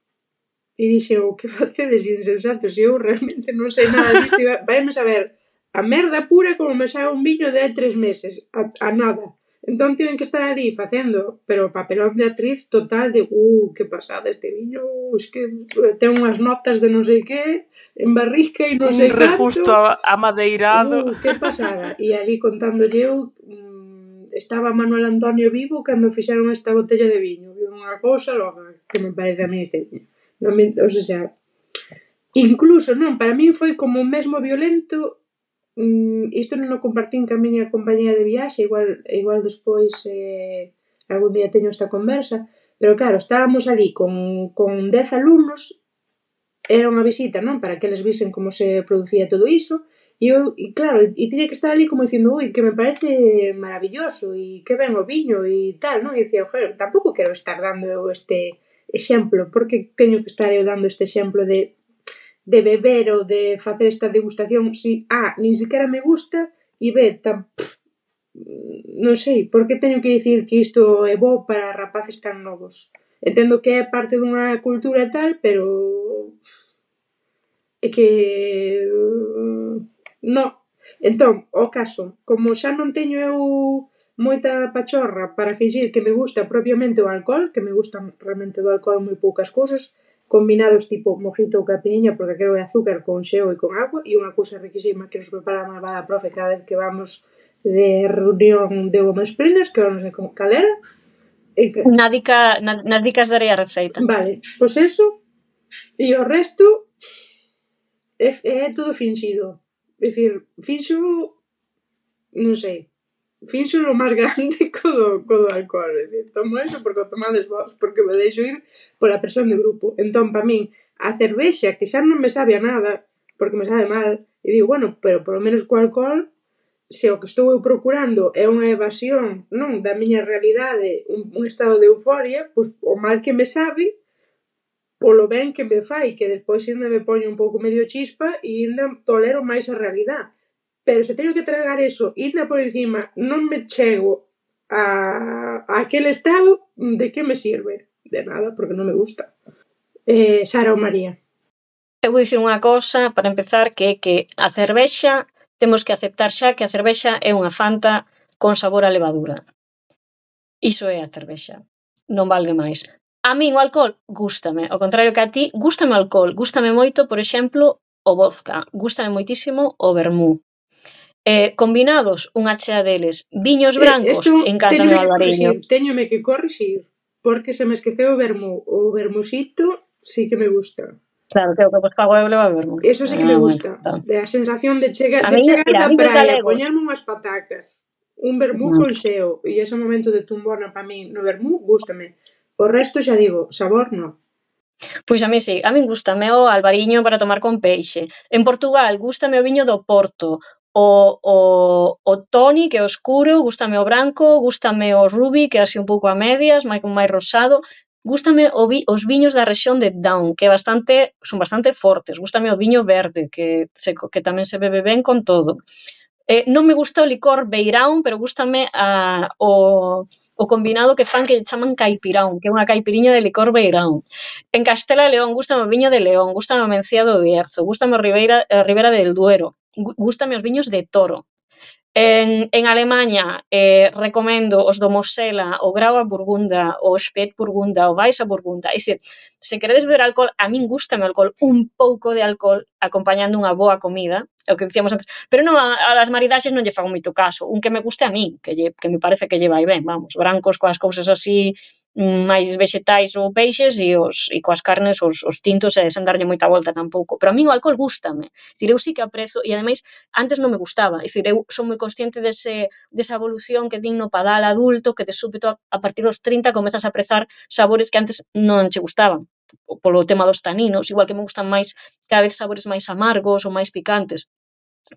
e dixe, o que facedes insensatos, e eu realmente non sei nada disto, e vaime saber a merda pura como me sabe un viño de hai tres meses, a, a nada. Entón tiven que estar ali facendo, pero papelón de actriz total de, uh, que pasada este viño, es que ten unhas notas de non sei que, en barrica e non sei canto. Un rejusto amadeirado. Uh, que pasada. E ali contándolle eu, mmm, estaba Manuel Antonio vivo cando fixeron esta botella de viño. Viu unha cousa logo que me parece a mí este viño. Non me, o sea, incluso, non, para min foi como mesmo violento. Mm, isto non o compartín ca miña compañía de viaxe, igual igual despois eh, algún día teño esta conversa, pero claro, estábamos ali con, con dez alumnos, era unha visita, non? Para que eles visen como se producía todo iso, e eu, e claro, e tiña que estar ali como dicindo, ui, que me parece maravilloso, e que ben o viño, e tal, non? E dicía, joder, tampouco quero estar dando eu este exemplo, porque teño que estar eu dando este exemplo de de beber ou de facer esta degustación si A, nin siquiera me gusta e B, tan, pff, non sei, por que teño que dicir que isto é bo para rapaces tan novos? Entendo que é parte dunha cultura e tal, pero é que non. Entón, o caso, como xa non teño eu moita pachorra para fingir que me gusta propiamente o alcohol, que me gustan realmente do alcohol moi poucas cousas, combinados tipo mojito ou caipirinha, porque aquilo é azúcar con xeo e con agua, e unha cousa riquísima que nos prepara a malvada profe cada vez que vamos de reunión de women's planners, que non sei como cal era. E que... Na dica, na, nas dicas darei a receita. Vale, pois eso, e o resto é, é todo finxido. É dicir, finxo, non sei, finxo o máis grande co do, co do alcohol, é dicir, tomo eso porque o tomades vos, porque me deixo ir pola presión de grupo. Entón, pa min, a cervexa, que xa non me sabe a nada, porque me sabe mal, e digo, bueno, pero polo menos co alcohol, se o que estou eu procurando é unha evasión, non, da miña realidade, un, un estado de euforia, pois o mal que me sabe, polo ben que me fai, que despois ainda me poño un pouco medio chispa e ainda tolero máis a realidade. Pero se teño que tragar eso, ainda por encima, non me chego a, a aquel estado, de que me sirve? De nada, porque non me gusta. Eh, Sara ou María? Eu vou dicir unha cousa, para empezar, que é que a cervexa, temos que aceptar xa que a cervexa é unha Fanta con sabor a levadura. Iso é a cervexa. Non valde máis. A min o alcohol gústame, ao contrario que a ti, gústame o alcohol, gústame moito, por exemplo, o vodka, gústame moitísimo o vermú. Eh, combinados, unha chea deles, viños brancos, eh, encántame o albariño. Teñome que corrixir, porque se me esqueceu o vermú. O vermusito sí que me gusta. Claro, que o que vos pago eu leva vermú. Eso sí que me gusta. Ah, bueno, de a sensación de chegar, de chegar da praia, poñerme unhas patacas, un vermú no. con xeo, e ese momento de tumbona para min no vermú, gústame. O resto, xa digo, sabor non. Pois a mí sí, a min gústame o albariño para tomar con peixe. En Portugal gústame o viño do Porto, o, o, o toni, que é oscuro, gústame o branco, gústame o rubi, que é así un pouco a medias, máis máis rosado. Gústame o vi, os viños da rexión de Down, que é bastante, son bastante fortes. Gústame o viño verde, que, se, que tamén se bebe ben con todo. Eh, non me gusta o licor beirán, pero gústame a, o, o combinado que fan que chaman caipirán, que é unha caipiriña de licor beirán. En Castela e León gústame o viño de León, gústame o Mencía do Bierzo, gústame o Ribeira, a Ribera del Duero, gústame os viños de Toro. En, en Alemanha eh, recomendo os do Mosela, o Grau a Burgunda, o Spät Burgunda, o Weiss a Burgunda. E se, se queredes beber alcohol, a min gústame o alcohol, un pouco de alcohol acompañando unha boa comida, é o que dicíamos antes, pero non, a, a das maridaxes non lle fago moito caso, un que me guste a min, que, lle, que me parece que lle vai ben, vamos, brancos coas cousas así máis vegetais ou peixes e, os, e coas carnes os, os tintos e sen darlle moita volta tampouco, pero a min o alcohol gústame, dicir, eu sí que aprezo e ademais antes non me gustaba, dicir, eu son moi consciente dese, desa evolución que din no padal adulto, que de súpeto a partir dos trinta comezas a aprezar sabores que antes non che gustaban, polo tema dos taninos, igual que me gustan máis cada vez sabores máis amargos ou máis picantes,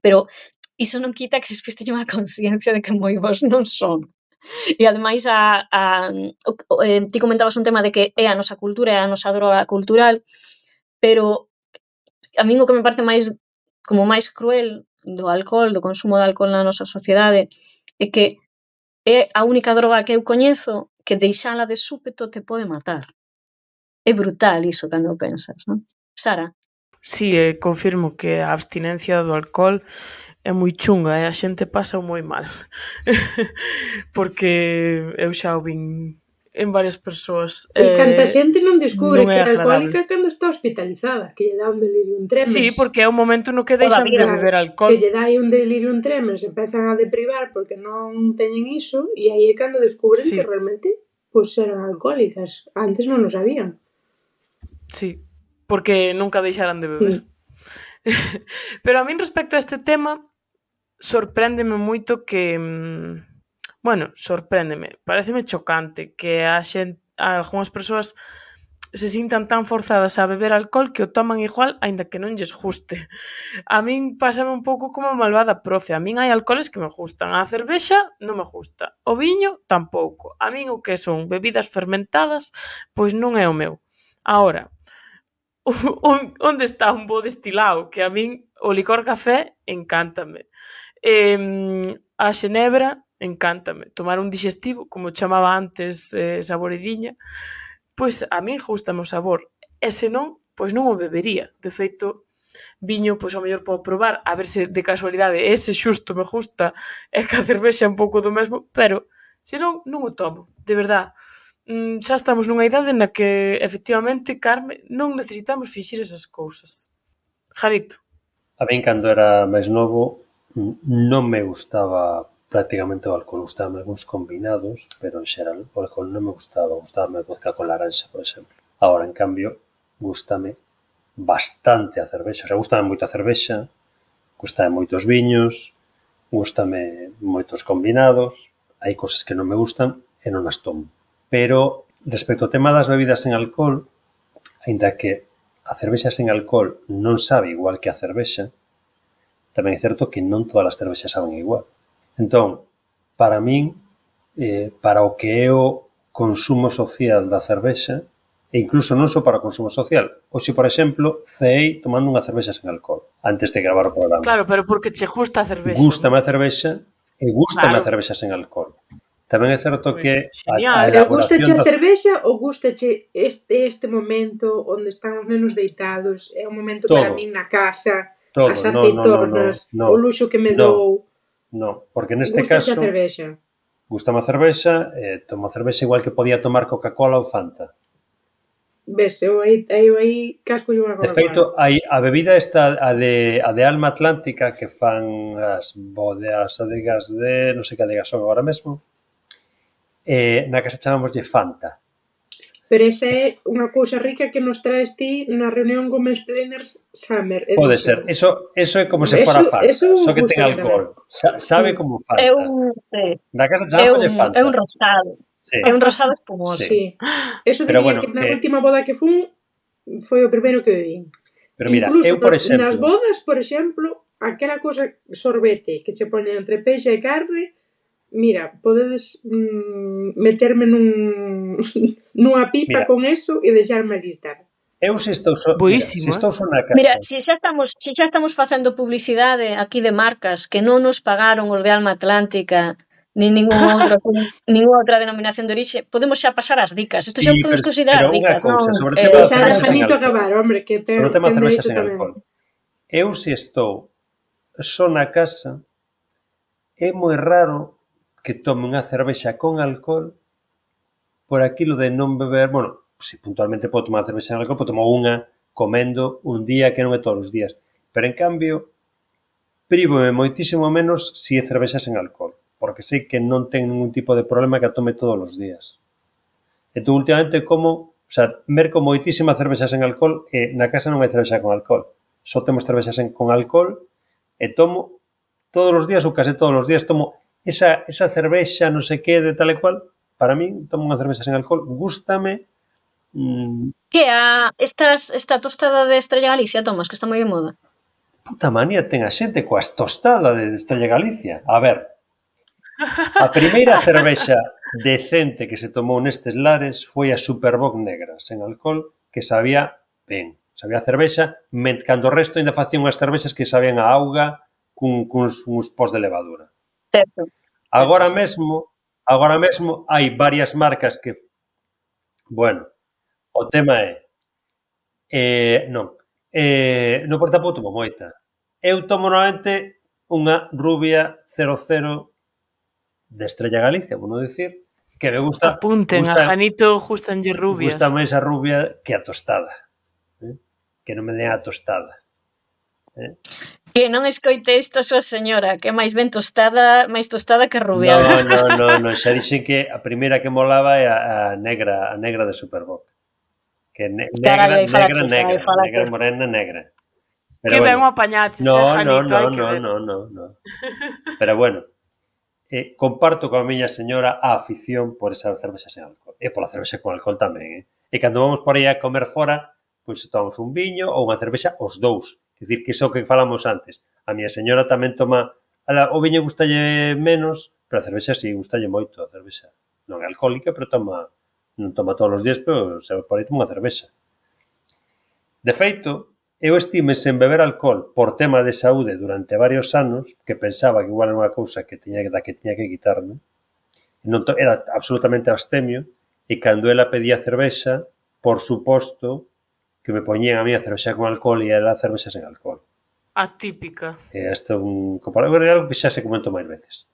pero iso non quita que despois teño unha conciencia de que moi bons non son. E ademais a, a, o, eh, ti comentabas un tema de que é a nosa cultura, é a nosa droga cultural, pero a min o que me parece máis como máis cruel do alcohol, do consumo de alcohol na nosa sociedade, é que é a única droga que eu coñezo que deixala de súpeto te pode matar. É brutal iso cando pensas, non? Sara? Sí, eh, confirmo que a abstinencia do alcohol é moi chunga e a xente pasa moi mal. Porque eu xa o vin en varias persoas. E canta Eh, xente non descubre non que é é agradable. alcohólica cando está hospitalizada, que lle dá un delirium tremens. Sí, porque é o momento no que Toda a deixan de vida. beber Que alcohol. lle dá aí un delirium tremens, empezan a deprivar porque non teñen iso, e aí é cando descubren Sí. que realmente pois eran alcohólicas. Antes non o sabían. Sí, porque nunca deixaran de beber. Pero a min respecto a este tema sorpréndeme moito que mm, bueno, sorpréndeme, pareceme chocante que a xente, a algunhas persoas se sintan tan forzadas a beber alcohol que o toman igual aínda que non lles guste. A min pásame un pouco como a malvada profe. A min hai alcoholes que me gustan. A cervexa non me gusta. O viño tampouco. A min o que son bebidas fermentadas pois non é o meu. Ahora, onde está un bo destilado? Que a min o licor café encántame. Eh, a xenebra encántame. Tomar un digestivo, como chamaba antes eh, Saboridiña, pois a min gustame o sabor. E se non, pois non o bebería. De feito, viño, pois ao mellor podo probar, a ver se de casualidade ese xusto me gusta e que a cervexa é un pouco do mesmo, pero se non, non o tomo. De verdad, mm, xa estamos nunha idade na que, efectivamente, Carme, non necesitamos fixir esas cousas. Janito. A min, cando era máis novo, non me gustaba prácticamente o alcohol. Gustaban algúns combinados, pero en xeral o alcohol non me gustaba. Gustaba a vodka con laranxa, por exemplo. Agora, en cambio, gustame bastante a cervexa. O sea, gustame moito a cervexa, gustame moitos viños, gustame moitos combinados. Hai cosas que non me gustan e non as tomo. Pero, respecto ao tema das bebidas sen alcohol, aínda que a cervexa sen alcohol non sabe igual que a cervexa, tamén é certo que non todas as cervexas saben igual. Entón, para min, eh, para o que é o consumo social da cervexa, e incluso non só para o consumo social. Hoxe, por exemplo, ceei tomando unha cervexa sen alcohol, antes de gravar o programa. Claro, pero porque che gusta a cervexa. Gústame a cervexa e gústame Claro. a cervexa sen alcohol. Tamén é certo Pois, que a, genial. a Pero elaboración gustache a das... cervexa ou gustache este, este momento onde están os nenos deitados? É un momento Todo. para min na casa, Todo. as No, no, no, aceitonas, no, no. o luxo que me No. dou. No, porque neste Gustache caso... a cervexa. Gústame a cervexa, eh, tomo a cervexa igual que podía tomar Coca-Cola ou Fanta. Ves, eu aí, eu aí casco unha De Coca-Cola. feito, hai a bebida esta, a de, a de Alma Atlántica, que fan as bodeas adegas de, non sei que adegas son agora mesmo, eh, na casa chamámoslle Fanta. Pero esa é unha cousa rica que nos traes ti na reunión con Mansplainers Summer Edition. Pode ser. Eso, eso é como se Eso- fora Fanta, eso só que ten gusta alcohol. Sa, sabe como Fanta. É un, sí, Na casa é chamámoslle un, Fanta. é un rosado. Sí. É un rosado espumoso. Sí. Eso Pero diría bueno, que na que- última boda que fun foi o primeiro que bebín. Pero mira, Incluso eu, por nas exemplo... bodas, por exemplo, aquela cosa sorbete que se pone entre peixe e carne, mira, podedes mm, meterme nun nunha pipa Mira. con eso e deixarme alistar. Eu se estou só... Boísimo, mira, se estou só na casa... Mira, se xa estamos, se xa estamos facendo publicidade aquí de marcas que non nos pagaron os de Alma Atlántica nin ninguna outra ninguna outra denominación de orixe, podemos xa pasar ás dicas. Isto xa Sí, o podemos pero- considerar pero unha dicas, cousa, non? sobre o Eh, tema da Deixar a cervexa sen Janito alcohol. acabar, hombre, que ten, Sobre o tema ten cervexa dereito sen tamén. alcohol. Eu se estou só na casa, é moi raro que tome unha cervexa con alcohol por aquilo de non beber, bueno, se puntualmente podo tomar cervexa sen alcohol, podo tomar unha comendo un día que non é todos os días. Pero en cambio, prívome moitísimo menos se é cervexa sen alcohol, porque sei que non ten ningún tipo de problema que a tome todos os días. Entón, últimamente, como, o sea, merco moitísima cervexa sen alcohol e na casa non hai cervexa con alcohol. Só temos cervexa sen, con alcohol e tomo todos os días ou case todos os días tomo esa, esa cervexa non sei que de tal e cual. Para min, tomo unha cervexa sen alcohol, gústame. Mm, Que a estas esta tostada de Estrella Galicia, tomas, que está moi de moda. puta manía ten a xente coas tostadas de Estrella Galicia. A ver, a primeira cervexa decente que se tomou nestes lares foi a Superboc negra, sen alcohol, que sabía ben. Sabía a cervexa, men, cando o resto ainda facían unhas cervexas que sabían a auga cun, cuns, uns pós de levadura. Certo. Agora mesmo, agora mesmo hai varias marcas que, bueno, o tema é, eh, non, eh, no por tampouco tomo moita. Eu tomo normalmente unha rubia cero cero de Estrella Galicia, vou non dicir, que me gusta... Apunten, gusta, a Janito gustanlle rubias. Gusta máis a rubia que a tostada. Eh? Que non me den a tostada. Eh? Que non escoite isto a súa señora, que é máis ben tostada, máis tostada que rubiada. No, no, no, no, xa dixen que a primeira que molaba é a, a negra, a negra de Superboc. Que ne, negra, Carai, aí negra, falaches, negra, aí falaches. negra, morena, negra. Pero que ben o apañaches, no, eh, no, Janito, no, hai que no, ver. no, no, no. Pero bueno, eh, comparto coa miña señora a afición por esa cervexa sen alcohol. E pola cervexa con alcohol tamén, eh? E cando vamos por aí a comer fora, pois tomamos un viño ou unha cervexa os dous. É dicir, que iso que falamos antes. A miña señora tamén toma... Ala, o viño gustalle menos, pero a cervexa sí, gustalle moito a cervexa. Non é alcohólica, pero toma... Non toma todos os días, pero se por aí toma unha cervexa. De feito, eu estive sen beber alcohol por tema de saúde durante varios anos, que pensaba que igual era unha cousa que tiña, da que tiña que quitarme. Non to, era absolutamente abstemio, e cando ela pedía cervexa, por suposto, que me poñían a mí a cervexa con alcohol e ela a cervexa sen alcohol. Atípica. E isto é un comparado, é algo que xa se comentou máis veces.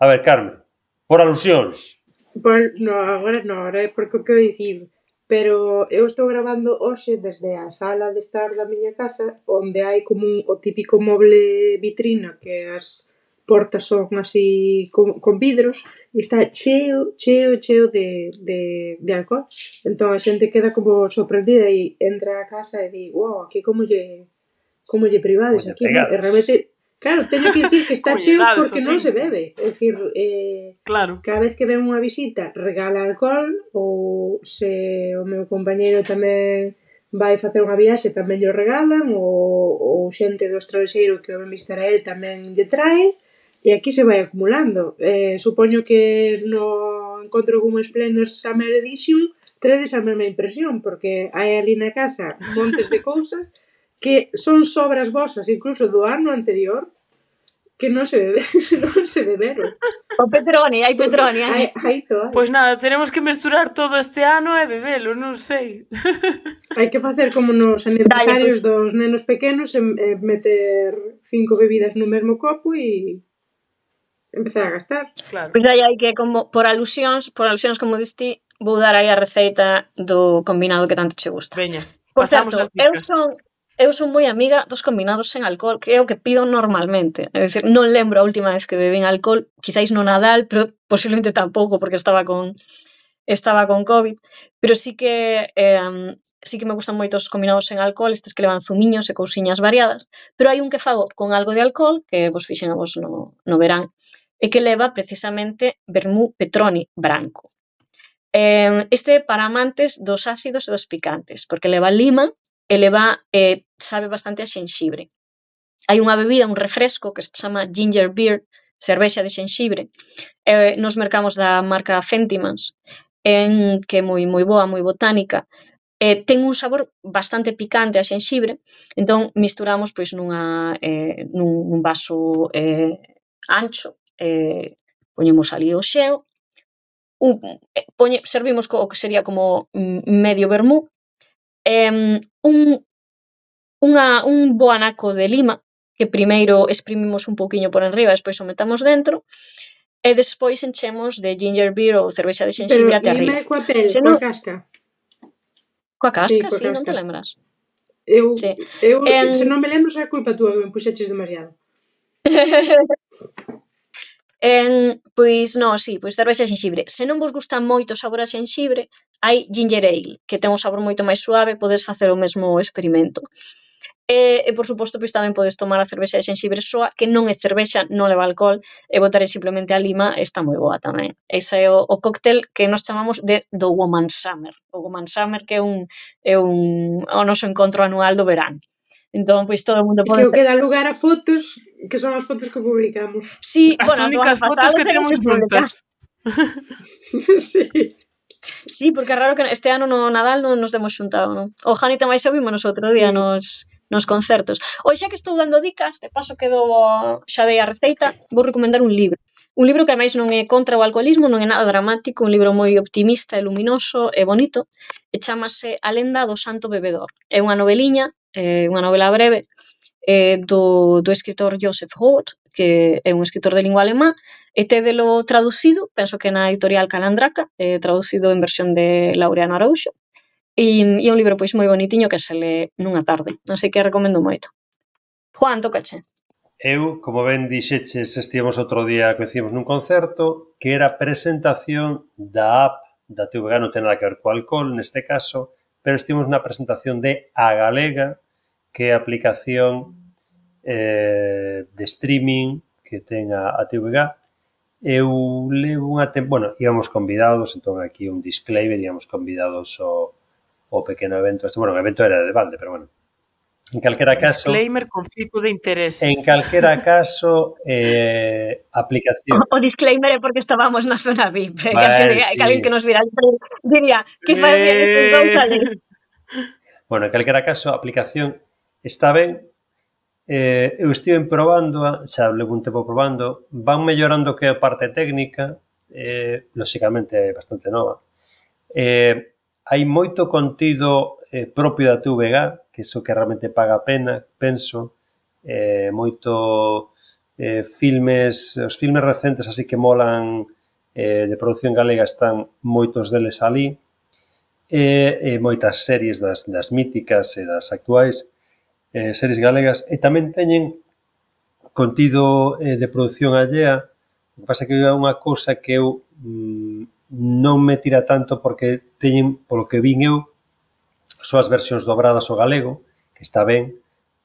A ver, Carmen, por alusións. Por, no, agora non, agora é porque o quero dicir. Pero eu estou grabando hoxe desde a sala de estar da miña casa, onde hai como un, o típico moble vitrina, que as portas son así con, con vidros, e está cheo, cheo, cheo de, de, de alcohol. Entón a xente queda como sorprendida e entra a casa e di, wow, aquí como lle, como lle privades aquí, non? E realmente, claro, teño que dicir que está cheo porque non se bebe. É dicir, eh, claro. Cada vez que ven unha visita regala alcohol, ou se o meu compañeiro tamén vai facer unha viaxe tamén lle regalan, ou, ou xente do estranxeiro que o ven visitar a él tamén lle trae, e aquí se vai acumulando. Eh, supoño que no encontro como Splendors Summer Edition tredes a mesma impresión, porque hai ali na casa montes de cousas que son sobras vosas, incluso do ano anterior, que non se bebe, non se beberon. O Petroni, hai Petroni, hai. Hai todo. Pois nada, tenemos que mesturar todo este ano e bebelo, non sei. Hai que facer como nos aniversarios dos nenos pequenos e, e meter cinco bebidas no mesmo copo e empezar a gastar. Claro. Pois aí hai que, como por alusións, por alusións como diste, vou dar aí a receita do combinado que tanto che gusta. Veña, por pasamos certo, as dicas. Eu son Eu son moi amiga dos combinados sen alcohol, que é o que pido normalmente. É dicir, non lembro a última vez que bebín alcohol, quizáis no Nadal, pero posiblemente tampouco, porque estaba con estaba con COVID, pero sí que eh, sí que me gustan moito os combinados sen alcohol, estes que levan zumiños e cousiñas variadas, pero hai un que fago con algo de alcohol, que vos fixen a vos no, no verán, e que leva precisamente vermú Petroni branco. Eh, este para amantes dos ácidos e dos picantes, porque leva lima, e leva, eh, sabe bastante a xenxibre. Hai unha bebida, un refresco que se chama ginger beer, cervexa de xenxibre, eh, nos mercamos da marca Fentimans, en, que é moi moi boa, moi botánica, eh, ten un sabor bastante picante a xenxibre, entón misturamos pois nunha, eh, nun, nun vaso eh, ancho, eh, poñemos ali o xeo, un, eh, poñe, servimos co, o que sería como medio vermú, Um, un, unha, un bo anaco de lima, que primeiro exprimimos un pouquiño por enriba, despois o metamos dentro, e despois enchemos de ginger beer ou cervexa de xenxibre até arriba. Pero lima coa pel, Se coa non... casca? Coa casca, sí, sí, non te lembras? Eu, sí. eu en... se non me lembro, é culpa túa que me puxeches demasiado. En, pois non, sí, pois cervexa de xenxibre. Se non vos gusta moito o sabor a xenxibre, hai ginger ale, que ten un sabor moito máis suave, podes facer o mesmo experimento. E, e por suposto, pois tamén podes tomar a cervexa de xenxibre soa, que non é cervexa, non leva alcohol, e botar simplemente a lima, está moi boa tamén. Ese é o, o cóctel que nos chamamos de do Woman Summer. O Woman Summer, que é un, é un o noso encontro anual do verán. Entón, pois todo o mundo pode... Que o que dá lugar a fotos, que son as fotos que publicamos. Sí, as bueno, únicas fotos que temos juntas. Sí. Sí, porque é raro que este ano no Nadal non nos demos xuntado, non? O Jani tamén xa vimos nos outro día sí. nos, nos concertos. Hoxe xa que estou dando dicas, de paso que do, xa dei a receita, vou recomendar un libro. Un libro que ademais non é contra o alcoholismo, non é nada dramático, un libro moi optimista e luminoso e bonito, e chamase A lenda do santo bebedor. É unha noveliña, é unha novela breve, eh, do, do escritor Joseph Roth, que é un escritor de lingua alemá, e tédelo traducido, penso que na editorial Calandraca, eh, traducido en versión de Laureano Araúxo, e, e é un libro pois moi bonitiño que se lé nunha tarde, así que recomendo moito. Juan, tócache. Eu, como ben dixeches, estivemos outro día, coincidimos nun concerto, que era a presentación da app da T V G, non ten nada que ver co alcohol, neste caso, pero estivemos na presentación de A Galega, que é a aplicación eh, de streaming que ten a, a T V G. Eu levo unha tempo, bueno, íbamos convidados, entón aquí un disclaimer, íbamos convidados ao, ao pequeno evento, bueno, o evento era de balde, pero bueno, en calquera caso... Disclaimer, conflito de intereses. En calquera caso, eh, aplicación... O, o disclaimer é porque estábamos na zona V I P, que Vale, así de, sí. que alguén que nos vira diría, que facía estes dous ali? Bueno, en calquera caso, a aplicación está ben. Eh, eu estive probando, xa levo un tempo probando, van mellorando que a parte técnica, eh, lóxicamente é bastante nova. Eh, hai moito contido eh, propio da T V G, que iso que realmente paga a pena, penso, eh, moito eh, filmes, os filmes recentes así que molan eh, de produción galega están moitos deles ali, e, e moitas series das, das míticas e das actuais eh, series galegas, e tamén teñen contido eh, de produción allea. O que pasa que é unha cousa que eu mm, non me tira tanto porque teñen, polo que vin eu, só as versións dobradas ao galego, que está ben,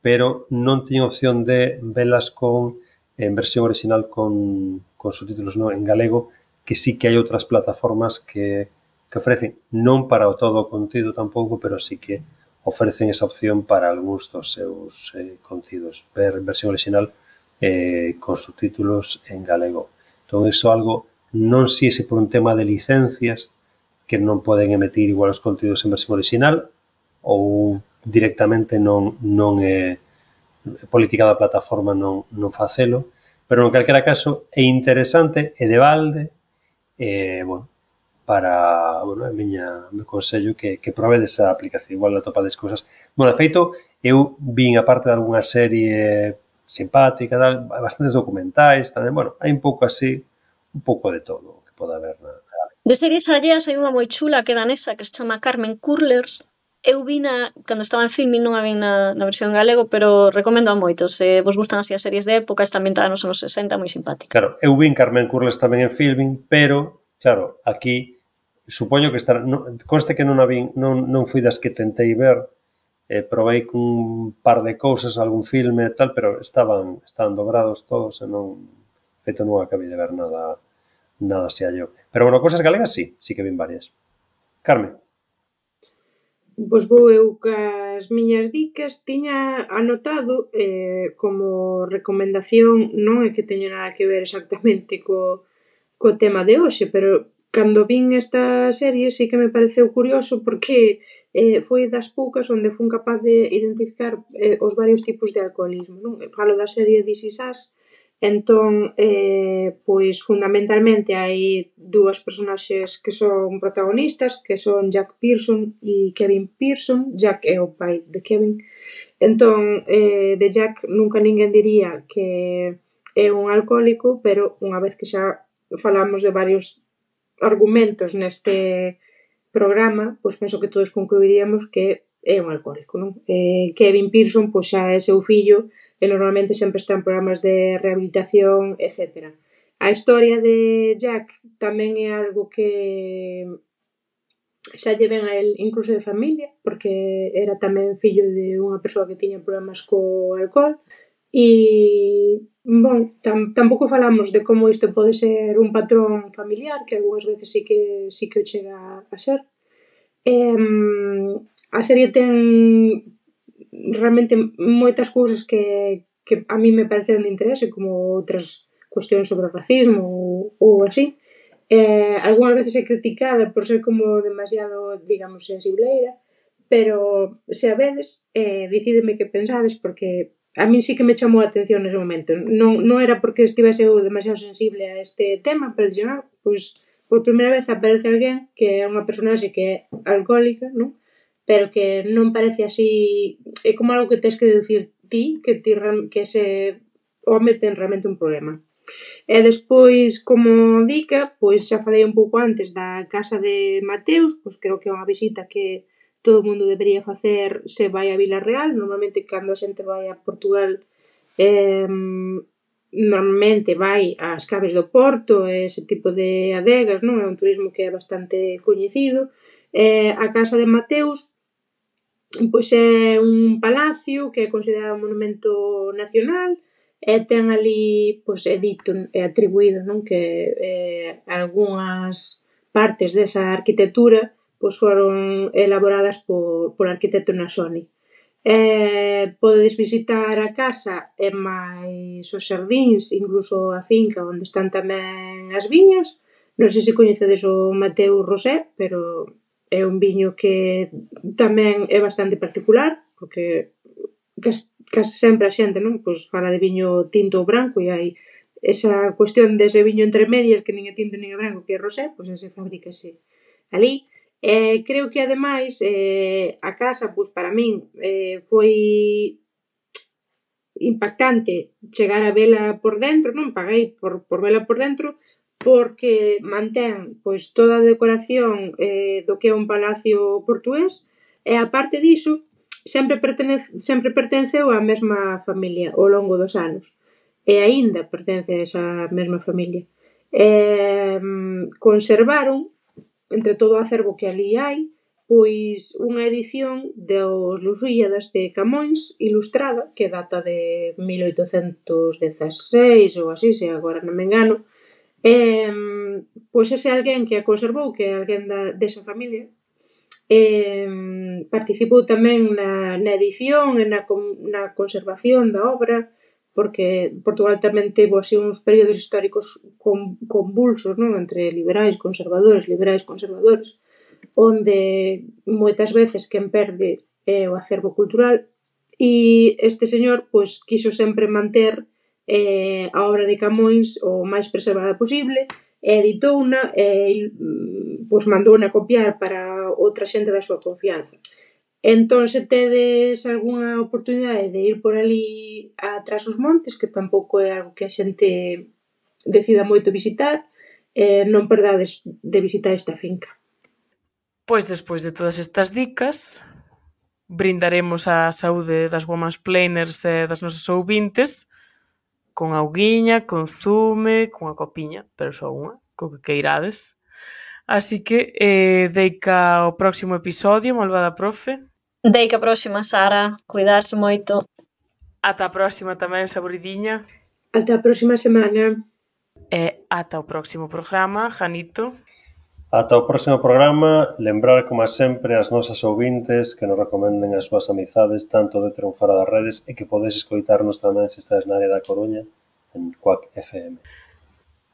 pero non teño opción de velas con en versión original con, con subtítulos no, en galego, que sí que hai outras plataformas que, que ofrecen, non para o todo o contido tampouco, pero sí que ofrecen esa opción para algúns dos seus eh, contidos, ver versión original eh, con subtítulos en galego. Entón, iso algo, non sei se por un tema de licencias, que non poden emitir igual os contidos en versión original, ou directamente non, non é política da plataforma non, non facelo, pero en calquera caso é interesante, é de balde, e, bueno, para, bueno, a miña, me consello que, que probedes a aplicación, igual atopades cousas. Bueno, de feito, eu vin, aparte de algunha serie simpática, tal, bastantes documentais tamén, bueno, hai un pouco así, un pouco de todo que pode haber na... De series alleas hai unha moi chula que é danesa que se chama Carmen Curlers. Eu vi na, cando estaba en Filmin, non a vi na, na versión galego, pero recomendo a moitos. Se vos gustan así as series de época, está ambientada nos anos sesenta, moi simpática. Claro, eu vi Carmen Curlers tamén en Filmin, pero, claro, aquí supoño que estará, non, conste que non a vi, non, non fui das que tentei ver, eh, probei cun par de cousas, algún filme e tal, pero estaban, estaban dobrados todos e non, feito non acabei de ver nada, nada se hallou. Pero, bueno, cousas galegas sí, sí que vin varias. Carmen. Pois vou eu cas miñas dicas, tiña anotado eh, como recomendación, non é que teño nada que ver exactamente co, co tema de hoxe, pero cando vin esta serie sí que me pareceu curioso porque eh, foi das poucas onde fun capaz de identificar eh, os varios tipos de alcoholismo, non? Falo da serie This Is Us. Entón, eh, pois fundamentalmente hai dúas personaxes que son protagonistas, que son Jack Pearson e Kevin Pearson. Jack é o pai de Kevin. Entón, eh, de Jack nunca ninguén diría que é un alcohólico, pero unha vez que xa falamos de varios argumentos neste programa, pois penso que todos concluiríamos que é un alcohólico, non? Eh, Kevin Pearson, pois xa é seu fillo, e normalmente sempre está en programas de rehabilitación, etcétera. A historia de Jack tamén é algo que xa lle ven a él incluso de familia, porque era tamén fillo de unha persoa que tiña problemas co alcohol, e, bon, tam, tampouco falamos de como isto pode ser un patrón familiar, que algunhas veces sí que, sí que o chega a ser. Eh, a serie ten realmente moitas cousas que, que a mí me pareceron de interese, como outras cuestións sobre o racismo ou, ou así. Eh, algunhas veces é criticada por ser como demasiado, digamos, sensibleira, pero se a vedes, eh, decideme que pensades, porque a mí sí que me chamou a atención nese momento. Non, non era porque estivese eu demasiado sensible a este tema, pero dixen, ah, pois, por primeira vez aparece alguén que é unha personaxe que é alcohólica, non? Pero que non parece así, é como algo que tens que deducir ti que, ti, que ese home ten realmente un problema. E despois, como dica, pois xa falei un pouco antes da casa de Mateus, pois creo que é unha visita que todo o mundo debería facer se vai a Vila Real. Normalmente, cando a xente vai a Portugal, eh, normalmente vai ás caves do Porto, ese tipo de adegas, non? É un turismo que é bastante coñecido. Eh, a casa de Mateus, pois é un palacio que é considerado un monumento nacional, e ten ali, pois, é dito, é atribuído, non? Que eh, algunhas partes desa arquitectura pois foron elaboradas por, por arquitecto Nasoni. Eh, podedes visitar a casa e máis os xardíns, incluso a finca onde están tamén as viñas. Non sei se coñecedes o Mateu Rosé, pero é un viño que tamén é bastante particular, porque case, case sempre a xente, non? Pois fala de viño tinto ou branco e hai esa cuestión dese viño entre medias que nin é tinto nin é branco, que é rosé, pois ese fabrícase ali. Eh, creo que ademais eh, a casa, pois para min eh, foi impactante chegar a vela por dentro, non paguei por, por vela por dentro, porque mantén pois toda a decoración eh, do que é un palacio portugués, e a parte diso sempre, pertenece, sempre pertenceu á mesma familia ao longo dos anos, e aínda pertence a esa mesma familia. Eh, conservaron, entre todo o acervo que ali hai, pois unha edición dos Lusíadas de Camões ilustrada, que data de mil oitocentos dezaseis ou así, se agora non me engano. Eh, pois ese alguén que a conservou, que é alguén da, desa familia, eh, participou tamén na, na edición e na, na conservación da obra, porque Portugal tamén tivo así uns períodos históricos con, convulsos, non? Entre liberais, conservadores, liberais, conservadores, onde moitas veces quen perde é o acervo cultural, e este señor pois quiso sempre manter eh, a obra de Camões o máis preservada posible, e editouna e pois mandouna copiar para outra xente da súa confianza. Entón, se tedes algunha oportunidade de ir por ali atrás os montes, que tampouco é algo que a xente decida moito visitar, eh, non perdades de visitar esta finca. Pois despois de todas estas dicas, brindaremos a saúde das Women's Planers e das nosas ouvintes con auguiña, con zume, con a copiña, pero só unha, co que queirades. Así que, eh, deica o próximo episodio, malvada profe. Deica a próxima, Sara. Cuidarse moito. Ata a próxima tamén, saboridiña. Ata a próxima semana. E ata o próximo programa, Janito. Ata o próximo programa, lembrar, como sempre, as nosas ouvintes que nos recomenden as súas amizades tanto dentro e fora das redes, e que podes escoitarnos tamén se estás na área da Coruña en Quack F M.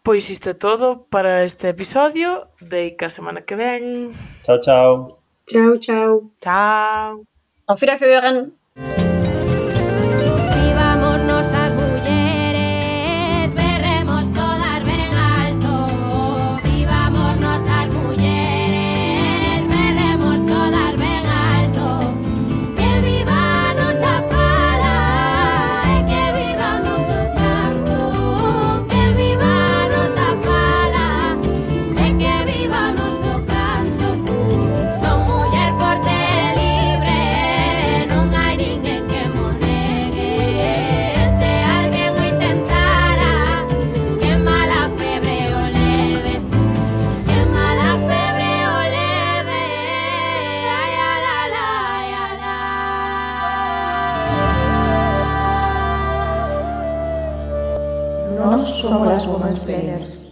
Pois isto é todo para este episodio. Deica a semana que ven. Chao, chao. Chao, chao. Chao. Auf Wiederhören. Vivámonos as mulleres, berremos todas ben alto. Vivámonos as mulleres, berremos todas ben alto. Que viva a nosa fala e que viva o noso canto. Que viva a nosa fala e que viva o noso canto. Son muller forte e libre, non hai ninguén que mo negue. Se alguén o intentara, que mala febre o leve, que mala febre o leve. Ai, ala, ala, ai, ala. Nós somos as Women's Planners.